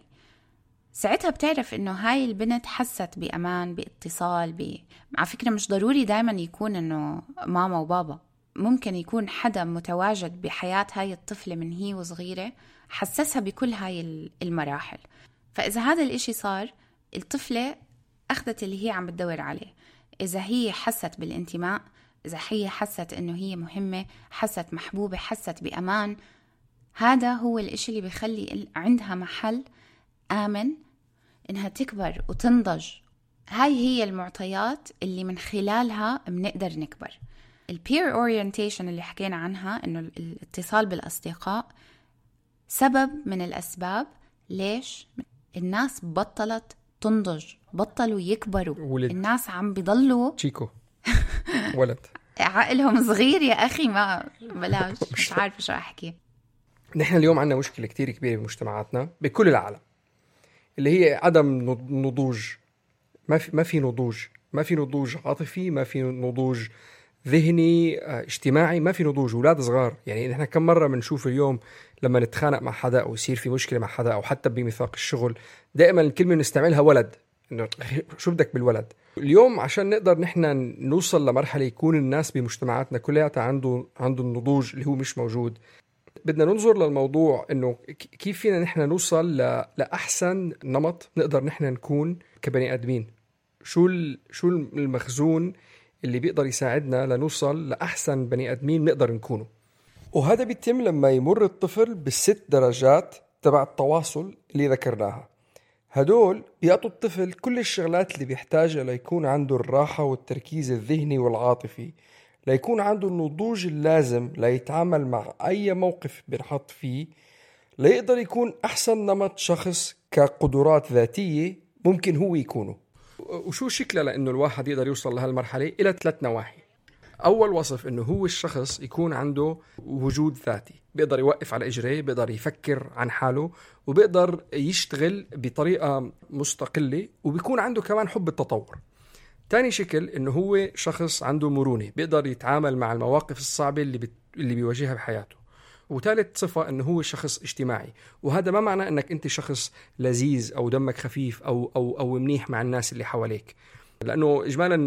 ساعتها بتعرف إنه هاي البنت حست بأمان، باتصال ب... على فكرة مش ضروري دايما يكون إنه ماما وبابا، ممكن يكون حدا متواجد بحياة هاي الطفلة من هي وصغيرة حسسها بكل هاي المراحل. فإذا هذا الإشي صار، الطفلة أخذت اللي هي عم بتدور عليه. إذا هي حست بالانتماء، إذا هي حست إنه هي مهمة، حست محبوبة، حست بأمان، هذا هو الإشي اللي بيخلي عندها محل آمن إنها تكبر وتنضج. هاي هي المعطيات اللي من خلالها بنقدر نكبر. البير اورينتيشن اللي حكينا عنها، إنه الاتصال بالأصدقاء، سبب من الأسباب ليش الناس بطلت تنضج، بطلوا يكبروا. ولد. الناس عم بيضلوا تشيكو ولد عقلهم صغير يا أخي، ما بلاش مش عارف شو أحكي. نحن اليوم عندنا مشكلة كتير كبيرة بمجتمعاتنا بكل العالم، اللي هي عدم نضوج. ما في ما في نضوج، ما في نضوج عاطفي، ما في نضوج ذهني اجتماعي، ما في نضوج. أولاد صغار يعني نحن كم مرة بنشوف اليوم لما نتخانق مع حدا أو يصير في مشكلة مع حدا أو حتى بميثاق الشغل، دائما الكلمة نستعملها ولد، إنه شو بدك بالولد. اليوم عشان نقدر نحن نوصل لمرحلة يكون الناس بمجتمعاتنا كلها عنده عنده النضوج اللي هو مش موجود، بدنا ننظر للموضوع إنه كيف فينا نحن نوصل لأحسن نمط نقدر نحن نكون كبني آدمين. شو شو المخزون اللي بيقدر يساعدنا لنوصل لأحسن بني آدمين نقدر نكونه. وهذا بيتم لما يمر الطفل بالست درجات تبع التواصل اللي ذكرناها. هدول بيعطوا الطفل كل الشغلات اللي بيحتاجها ليكون عنده الراحة والتركيز الذهني والعاطفي، ليكون عنده النضوج اللازم ليتعامل مع أي موقف بنحط فيه، ليقدر يكون أحسن نمط شخص كقدرات ذاتية ممكن هو يكونه. وشو شكله لأنه الواحد يقدر يوصل لهالمرحلة؟ إلى ثلاث نواحي. أول وصف إنه هو الشخص يكون عنده وجود ذاتي، بيقدر يوقف على إجريه، بيقدر يفكر عن حاله، وبيقدر يشتغل بطريقة مستقلة، وبيكون عنده كمان حب التطور. تاني شكل إنه هو شخص عنده مرونة، بيقدر يتعامل مع المواقف الصعبة اللي بت... اللي بيواجهها بحياته. وثالث صفة إنه هو شخص اجتماعي. وهذا ما معنى إنك أنت شخص لذيذ أو دمك خفيف أو أو أو منيح مع الناس اللي حواليك، لأنه إجمالا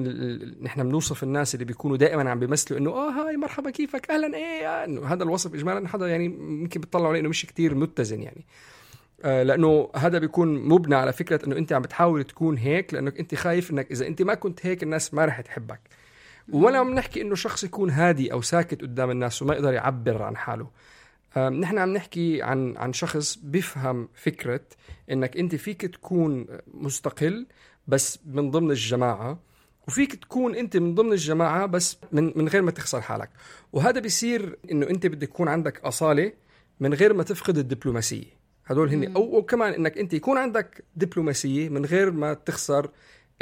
نحن بنوصف الناس اللي بيكونوا دائما عم بيمثلوا إنه آه هاي مرحبا كيفك أهلا إيه، إنه هذا الوصف إجمالا حدا يعني ممكن بتطلع عليه إنه مش كتير متزن يعني، آه لأنه هذا بيكون مبنى على فكرة إنه أنت عم بتحاول تكون هيك لأنك أنت خايف إنك إذا أنت ما كنت هيك الناس ما رح تحبك. ولا عم نحكي إنه شخص يكون هادي أو ساكت قدام الناس وما يقدر يعبر عن حاله. نحن عم نحكي عن عن شخص بيفهم فكرة إنك أنت فيك تكون مستقل بس من ضمن الجماعة، وفيك تكون أنت من ضمن الجماعة بس من من غير ما تخسر حالك. وهذا بيصير إنه أنت بدك يكون عندك أصالة من غير ما تفقد الدبلوماسية. هدول هني أو, أو كمان إنك أنت يكون عندك دبلوماسية من غير ما تخسر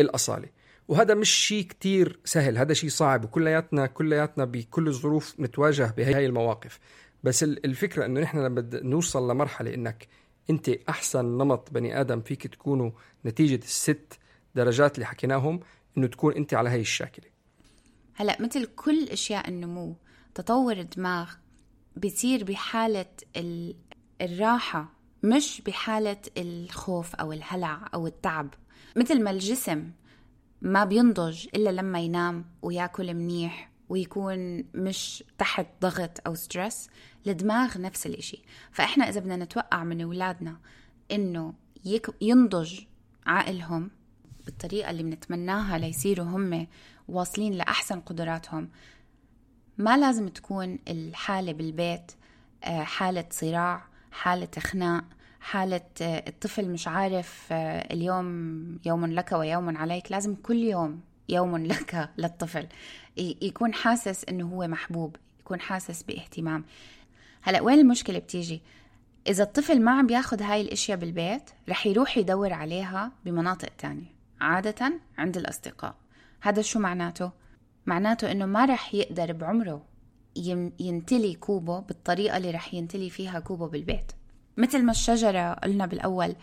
الأصالة. وهذا مش شيء كتير سهل، هذا شيء صعب، وكلياتنا كلياتنا بكل الظروف نتواجه بهاي المواقف. بس الفكرة إنه نحن لما نوصل لمرحلة إنك أنت أحسن نمط بني آدم فيك تكونوا نتيجة الست درجات اللي حكيناهم، إنه تكون أنت على هاي الشاكلة. هلأ مثل كل أشياء النمو، تطور الدماغ بيصير بحالة الراحة مش بحالة الخوف أو الهلع أو التعب. مثل ما الجسم ما بينضج إلا لما ينام ويأكل منيح ويكون مش تحت ضغط أو ستريس، الدماغ نفس الإشي. فإحنا إذا بدنا نتوقع من أولادنا إنه ينضج عقلهم بالطريقة اللي بنتمناها ليصيروا هم واصلين لأحسن قدراتهم، ما لازم تكون الحالة بالبيت حالة صراع، حالة خناق، حالة الطفل مش عارف اليوم يوم لك ويوم عليك. لازم كل يوم يوم لك للطفل، يكون حاسس إنه هو محبوب، يكون حاسس باهتمام. هلأ وين المشكلة بتيجي؟ إذا الطفل ما عم بياخد هاي الاشياء بالبيت، رح يروح يدور عليها بمناطق تانية، عادة عند الأصدقاء. هذا شو معناته؟ معناته إنه ما رح يقدر بعمره ينتلي كوبه بالطريقة اللي رح ينتلي فيها كوبه بالبيت. مثل ما الشجرة قلنا بالأول،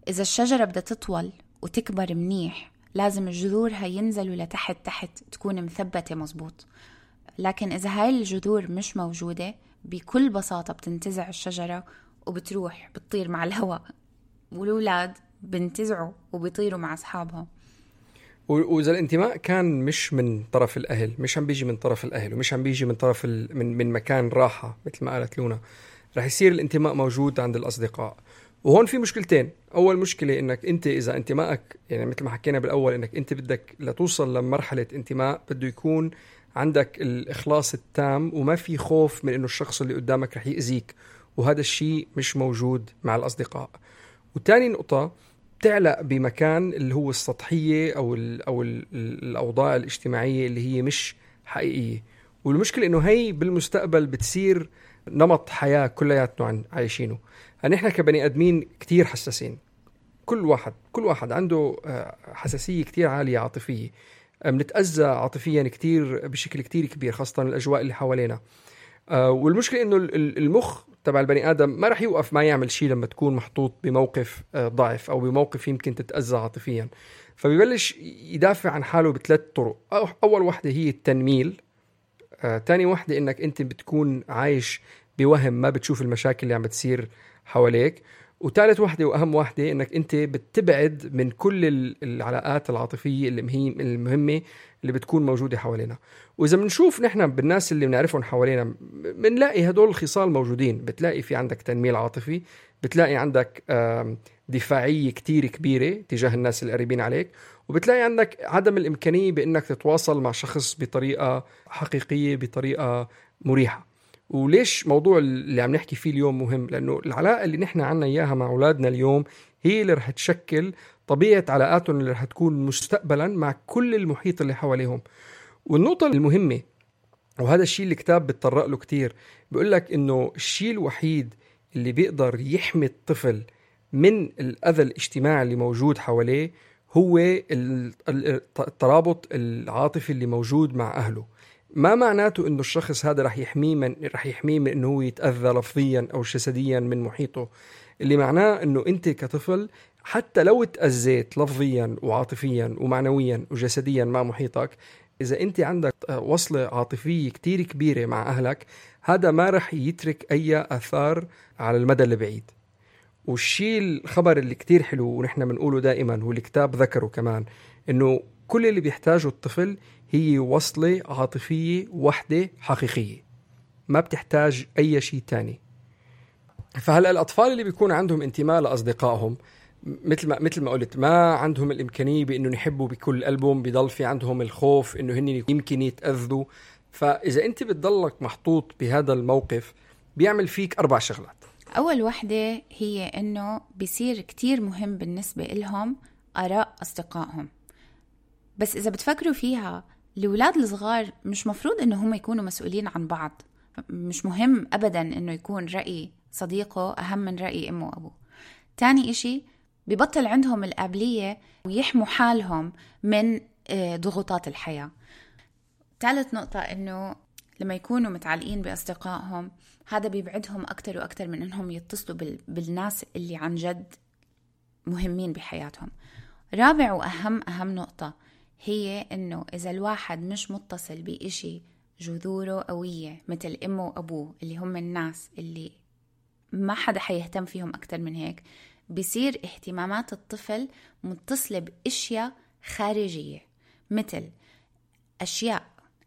إذا الشجرة بدها تطول وتكبر منيح لازم جذورها ينزلوا لتحت تحت تكون مثبتة مزبوط. لكن إذا هاي الجذور مش موجودة، بكل بساطة بتنتزع الشجرة وبتروح بتطير مع الهواء، والأولاد بنتزعوا وبيطيروا مع أصحابهم. وإذا الانتماء كان مش من طرف الأهل، مش عم بيجي من طرف الأهل ومش عم بيجي من طرف ال... من من مكان راحة مثل ما قالت لونا، رح يصير الانتماء موجود عند الأصدقاء. وهون في مشكلتين. أول مشكلة إنك أنت إذا انتمائك يعني مثل ما حكينا بالأول إنك أنت بدك لتوصل لمرحلة انتماء بده يكون عندك الإخلاص التام وما في خوف من إنه الشخص اللي قدامك رح يأذيك، وهذا الشيء مش موجود مع الأصدقاء. وتاني نقطة، تعلق بمكان اللي هو السطحية أو ال أو ال الأوضاع الاجتماعية اللي هي مش حقيقية. والمشكلة إنه هي بالمستقبل بتصير نمط حياة كلياتنا عايشينه. يعني إحنا كبني آدمين كتير حساسين، كل واحد كل واحد عنده حساسية كتير عالية عاطفية، بنتأذى عاطفيا كتير بشكل كتير كبير، خاصة الأجواء اللي حوالينا. والمشكلة إنه المخ تبع البني آدم ما رح يوقف ما يعمل شيء لما تكون محطوط بموقف ضعف أو بموقف يمكن تتأذى عاطفيا، فبيبلش يدافع عن حاله بثلاث طرق. أول واحدة هي التنميل، آه، تاني واحدة إنك أنت بتكون عايش بوهم ما بتشوف المشاكل اللي عم بتصير حواليك، وثالث واحدة وأهم واحدة إنك أنت بتبعد من كل العلاقات العاطفية المهمة اللي بتكون موجودة حوالينا. وإذا بنشوف نحن بالناس اللي بنعرفهم حوالينا بنلاقي هدول الخصال موجودين. بتلاقي في عندك تنميل عاطفي، بتلاقي عندك دفاعية كتير كبيرة تجاه الناس اللي قريبين عليك، وبتلاقي عندك عدم الإمكانية بأنك تتواصل مع شخص بطريقة حقيقية بطريقة مريحة. وليش موضوع اللي عم نحكي فيه اليوم مهم؟ لأنه العلاقة اللي نحن عنا إياها مع أولادنا اليوم هي اللي رح تشكل طبيعة علاقاتهم اللي رح تكون مستقبلا مع كل المحيط اللي حواليهم. والنقطة المهمة، وهذا الشيء اللي الكتاب بتطرق له كتير، بيقول لك إنه الشيء الوحيد اللي بيقدر يحمي الطفل من الأذى الاجتماعي اللي موجود حواليه هو الترابط العاطفي اللي موجود مع أهله. ما معناته إنه الشخص هذا رح يحميه من رح يحميه من إنه هو يتأذى لفظيا أو جسديا من محيطه. اللي معناه إنه أنت كطفل حتى لو تأذيت لفظيا وعاطفيا ومعنويا وجسديا مع محيطك، إذا أنت عندك وصلة عاطفية كتير كبيرة مع أهلك، هذا ما رح يترك أي أثار على المدى البعيد. والشيء الخبر اللي كتير حلو ونحن بنقوله دائما والكتاب ذكره كمان، إنه كل اللي بيحتاجه الطفل هي وصلة عاطفية وحدة حقيقية، ما بتحتاج أي شيء تاني. فهلأ الأطفال اللي بيكون عندهم انتماء لأصدقائهم مثل ما مثل ما قلت ما عندهم الإمكانية بإنه يحبوا بكل قلبهم، بيضل في عندهم الخوف إنه هن يمكن يتأذوا. فإذا أنت بتضلك محطوط بهذا الموقف بيعمل فيك أربع شغلات. أول وحدة هي إنه بيصير كتير مهم بالنسبة إلهم آراء أصدقائهم. بس إذا بتفكروا فيها، الأولاد الصغار مش مفروض إنه هم يكونوا مسؤولين عن بعض. مش مهم أبداً إنه يكون رأي صديقه أهم من رأي أمه وأبوه. تاني إشي، بيبطل عندهم القابلية ويحموا حالهم من ضغوطات الحياة. ثالث نقطة، إنه لما يكونوا متعلقين بأصدقائهم هذا بيبعدهم أكتر وأكتر من إنهم يتصلوا بالناس اللي عن جد مهمين بحياتهم. رابع وأهم أهم نقطة هي إنه إذا الواحد مش متصل بإشي جذوره قوية مثل أمه وأبوه اللي هم الناس اللي ما حدا حيهتم فيهم أكتر من هيك، بيصير اهتمامات الطفل متصلة بأشياء خارجية مثل أشياء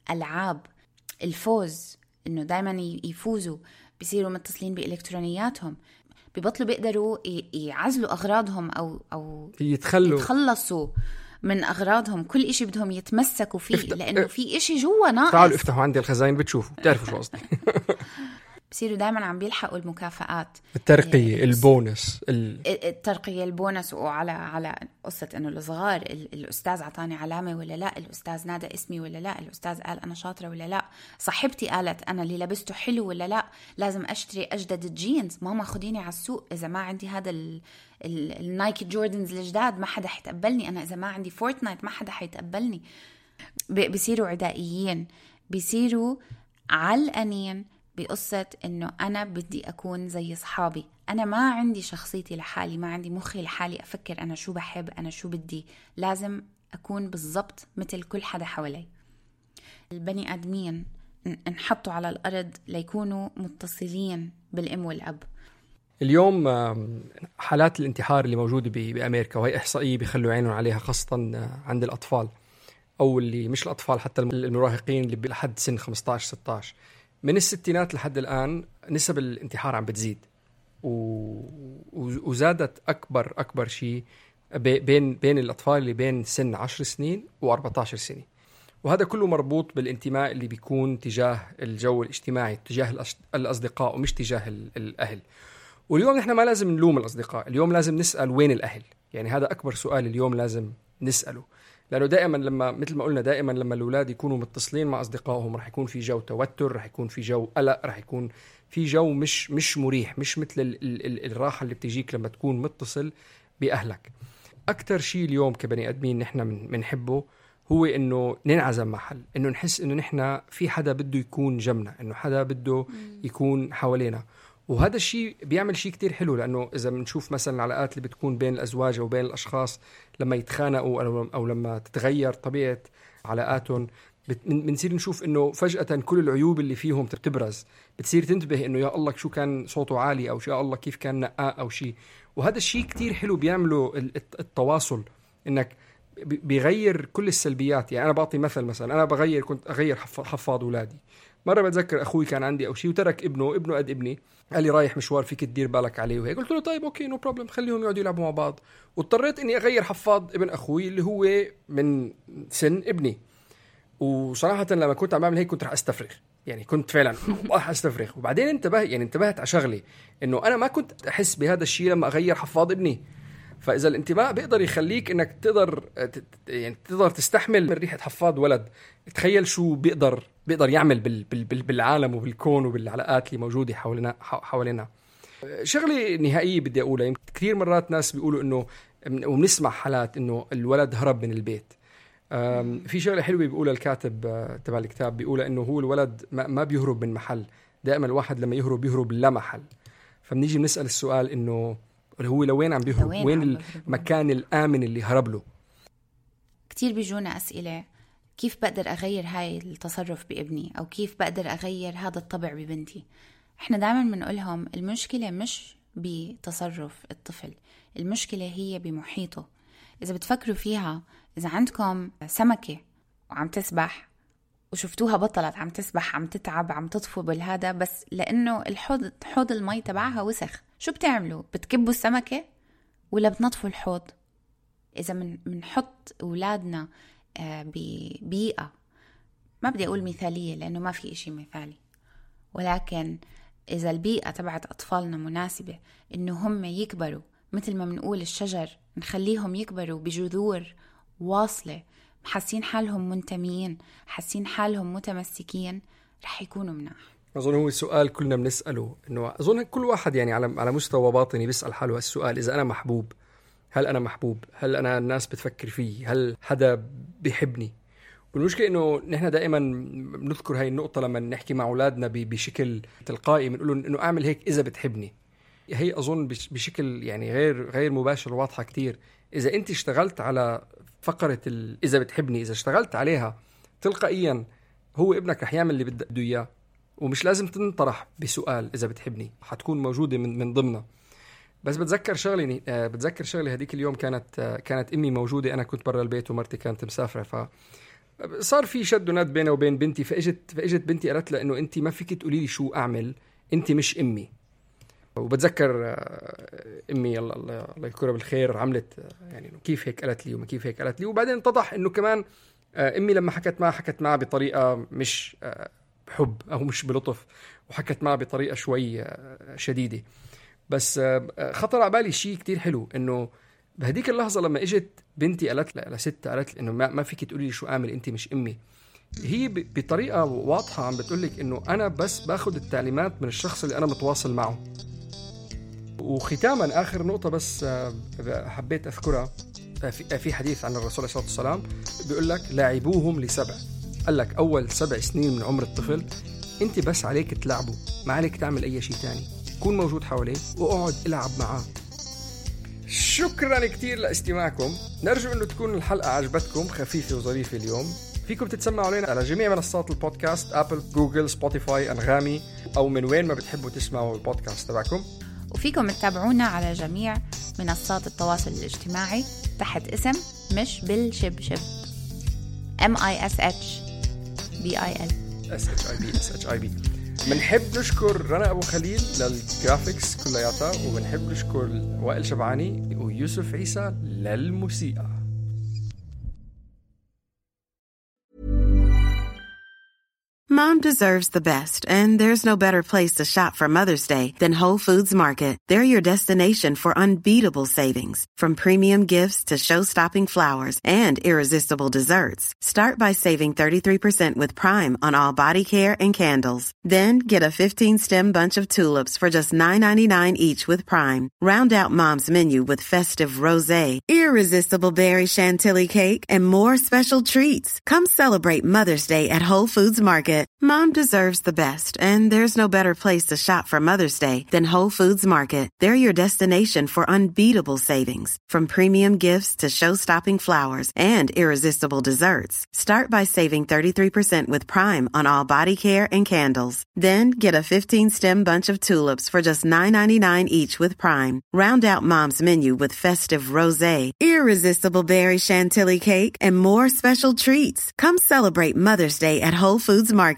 ألعاب الفوز، إنه دايما يفوزوا، بيصيروا متصلين بإلكترونياتهم، بيبطلوا بيقدروا يعزلوا أغراضهم أو أو يتخلوا يتخلصوا من أغراضهم. كل إشي بدهم يتمسكوا فيه افت... لأنه في إشي جوا ناقص. تعالوا افتحوا عندي الخزائن بتشوفوا بتعرفوا شو قصدي. بصيروا دائما عم بيلحقوا المكافآت، الترقية، البونس، الترقية، البونس. وعلى على قصة إنه الصغار الأستاذ عطاني علامة ولا لا، الأستاذ نادى اسمي ولا لا، الأستاذ قال أنا شاطرة ولا لا، صاحبتي قالت أنا اللي لبسته حلو ولا لا، لازم أشتري أجدد الجينز، ماما خديني على السوق، إذا ما عندي هذا ال النايكي جوردنز الجداد ما حدا حيتقبلني، أنا إذا ما عندي فورتنايت ما حدا حيتقبلني. بيصيروا عدائيين، بيصيروا علقانين بقصة إنه أنا بدي أكون زي صحابي، أنا ما عندي شخصيتي لحالي، ما عندي مخي لحالي أفكر أنا شو بحب، أنا شو بدي، لازم أكون بالضبط مثل كل حدا حوالي. البني آدمين انحطوا على الأرض ليكونوا متصلين بالأم والأب. اليوم حالات الانتحار اللي موجودة بأمريكا، وهي إحصائية بيخلوا عينهم عليها خاصة عند الأطفال، أو اللي مش الأطفال حتى المراهقين اللي لحد سن خمسة عشر ستة عشر. من الستينات لحد الآن نسب الانتحار عم بتزيد، وزادت أكبر أكبر شيء بين بين الأطفال اللي بين سن عشر سنين وأربعة عشر سنة. وهذا كله مربوط بالانتماء اللي بيكون تجاه الجو الاجتماعي، تجاه الأصدقاء ومش تجاه الأهل. واليوم نحن ما لازم نلوم الأصدقاء، اليوم لازم نسأل وين الأهل. يعني هذا أكبر سؤال اليوم لازم نسأله، لأنه دائما لما مثل ما قلنا دائما لما الأولاد يكونوا متصلين مع أصدقائهم رح يكون في جو توتر، رح يكون في جو قلق، رح يكون في جو مش مش مريح، مش مثل ال ال الراحة اللي بتجيك لما تكون متصل بأهلك. أكتر شيء اليوم كبني أدمين نحن بنحبه هو إنه ننعزم محل، إنه نحس إنه نحن في حدا بده يكون جنبنا، إنه حدا بده يكون حوالينا. وهذا الشيء بيعمل شيء كتير حلو، لأنه إذا بنشوف مثلا العلاقات اللي بتكون بين الأزواج وبين الأشخاص لما يتخانقوا أو لما تتغير طبيعة علاقاتهم، بنصير نشوف إنه فجأة كل العيوب اللي فيهم تبرز، بتصير تنتبه إنه يا الله شو كان صوته عالي، أو يا الله كيف كان نقاء أو شيء. وهذا الشيء كتير حلو بيعمله التواصل، إنك بيغير كل السلبيات. يعني أنا بعطي مثل، مثلا أنا بغير كنت أغير حفاض أولادي. مرة بتذكر أخوي كان عندي أو شيء وترك ابنه ابنه قد ابني، قال لي رايح مشوار فيك تدير بالك عليه وهيك. قلت له طيب أوكي نو بروبلم، خليهم يقعدوا يلعبوا مع بعض. واضطريت إني أغير حفاض ابن أخوي اللي هو من سن ابني. وصراحة لما كنت عم بعمل هيك كنت رح أستفرغ، يعني كنت فعلا راح أستفرغ. وبعدين انتبه يعني انتبهت على شغلي، إنه أنا ما كنت أحس بهذا الشيء لما أغير حفاض ابني. فإذا الانتماء بيقدر يخليك إنك تقدر يعني تقدر تستحمل من ريحة حفاض ولد، تخيل شو بيقدر بيقدر يعمل بال بال بالعالم وبالكون وبالعلاقات اللي موجودة حوالينا حوالينا. شغلة نهائية بدي أقولها، يمكن كثير مرات ناس بيقولوا إنه وبنسمع حالات إنه الولد هرب من البيت. في شغلة حلوة بيقولها الكاتب تبع الكتاب، بيقولها إنه هو الولد ما بيهرب من محل، دائما الواحد لما يهرب بيهرب لا محل. فبنيجي بنسأل السؤال إنه هو لوين عم بيهرب، وين, وين المكان الآمن اللي هرب له. كتير بيجونا أسئلة، كيف بقدر أغير هاي التصرف بابني، أو كيف بقدر أغير هذا الطبع ببنتي. إحنا دائما بنقولهم المشكلة مش بتصرف الطفل، المشكلة هي بمحيطه. إذا بتفكروا فيها، إذا عندكم سمكة وعم تسبح وشفتوها بطلت عم تسبح، عم تتعب، عم تطفو بالهذا، بس لأنه الحوض حوض المي تبعها وسخ، شو بتعملوا؟ بتكبوا السمكة ولا بتنطفوا الحوض؟ إذا من منحط أولادنا ببيئة، ما بدي أقول مثالية لأنه ما في إشي مثالي، ولكن إذا البيئة تبعت أطفالنا مناسبة إنه هم يكبروا مثل ما منقول الشجر، نخليهم يكبروا بجذور واصلة، حاسين حالهم منتميين، حاسين حالهم متمسكين، رح يكونوا مناح. أظن هو السؤال كلنا بنسأله، إنه أظن كل واحد يعني على على مستوى باطني بيسأل حاله السؤال، إذا أنا محبوب، هل أنا محبوب؟ هل أنا الناس بتفكر فيه؟ هل حدا بيحبني؟ والمشكلة إنه نحن دائما بنذكر هاي النقطة لما نحكي مع أولادنا بشكل تلقائي، بنقول إنه أعمل هيك إذا بتحبني. هي أظن بشكل يعني غير غير مباشر واضحة كتير. إذا أنت اشتغلت على فقرة إذا بتحبني، إذا اشتغلت عليها تلقائيا هو ابنك رح يعمل اللي بده إياه، ومش لازم تنطرح بسؤال إذا بتحبني، حتكون موجودة من من ضمنها. بس بتذكر شغلة بتذكر شغلة هديك اليوم كانت كانت أمي موجودة، أنا كنت برا البيت ومرتي كانت مسافرة، فصار في شد وند بينه وبين بنتي. فإجت فإجت بنتي قالت لها إنه أنت ما فيك تقولي لي شو أعمل، أنت مش أمي. وبتذكر أمي الله الله يذكرها بالخير عملت يعني كيف هيك قالت لي وما كيف هيك قالت لي. وبعدين اتضح إنه كمان أمي لما حكت معها حكت معها بطريقة مش بحب أو مش بلطف، وحكت معها بطريقة شوي شديدة. بس خطر على بالي شيء كتير حلو، إنه بهديك اللحظة لما إجت بنتي قالت لست قالت إنه ما, ما فيك تقولي لي شو أعمل، أنت مش أمي. هي بطريقة واضحة عم بتقولك إنه أنا بس باخد التعليمات من الشخص اللي أنا متواصل معه. وختاما آخر نقطة بس حبيت أذكرها، في حديث عن الرسول عليه الصلاة والسلام بيقول لك لاعبوهم لسبع. قال لك أول سبع سنين من عمر الطفل أنت بس عليك تلعبه، ما عليك تعمل أي شيء تاني، كون موجود حواليه وأقعد العب معاه. شكرا كتير لاستماعكم، نرجو أنه تكون الحلقة عجبتكم، خفيفة وظريفة اليوم. فيكم تتسمعوا علينا على جميع منصات البودكاست، أبل، جوجل، سبوتيفاي، أنغامي، أو من وين ما بتحبوا تسمعوا البودكاست تبعكم. وفيكم تتابعونا على جميع منصات التواصل الاجتماعي تحت اسم مش بالشبشب M I S H B I L S H I B S H I B. بنحب نشكر رنا أبو خليل للجرافيكس كلياتها، وبنحب نشكر وائل شبعاني ويوسف عيسى للموسيقى. Mom deserves the best, and there's no better place to shop for Mother's Day than Whole Foods Market. They're your destination for unbeatable savings, from premium gifts to show-stopping flowers and irresistible desserts. Start by saving thirty-three percent with Prime on all body care and candles. Then get a fifteen-stem bunch of tulips for just nine ninety-nine each with Prime. Round out Mom's menu with festive rosé, irresistible berry chantilly cake, and more special treats. Come celebrate Mother's Day at Whole Foods Market. Mom deserves the best, and there's no better place to shop for Mother's Day than Whole Foods Market. They're your destination for unbeatable savings, from premium gifts to show-stopping flowers and irresistible desserts. Start by saving thirty-three percent with Prime on all body care and candles. Then get a fifteen-stem bunch of tulips for just nine ninety-nine each with Prime. Round out Mom's menu with festive rosé, irresistible berry chantilly cake, and more special treats. Come celebrate Mother's Day at Whole Foods Market.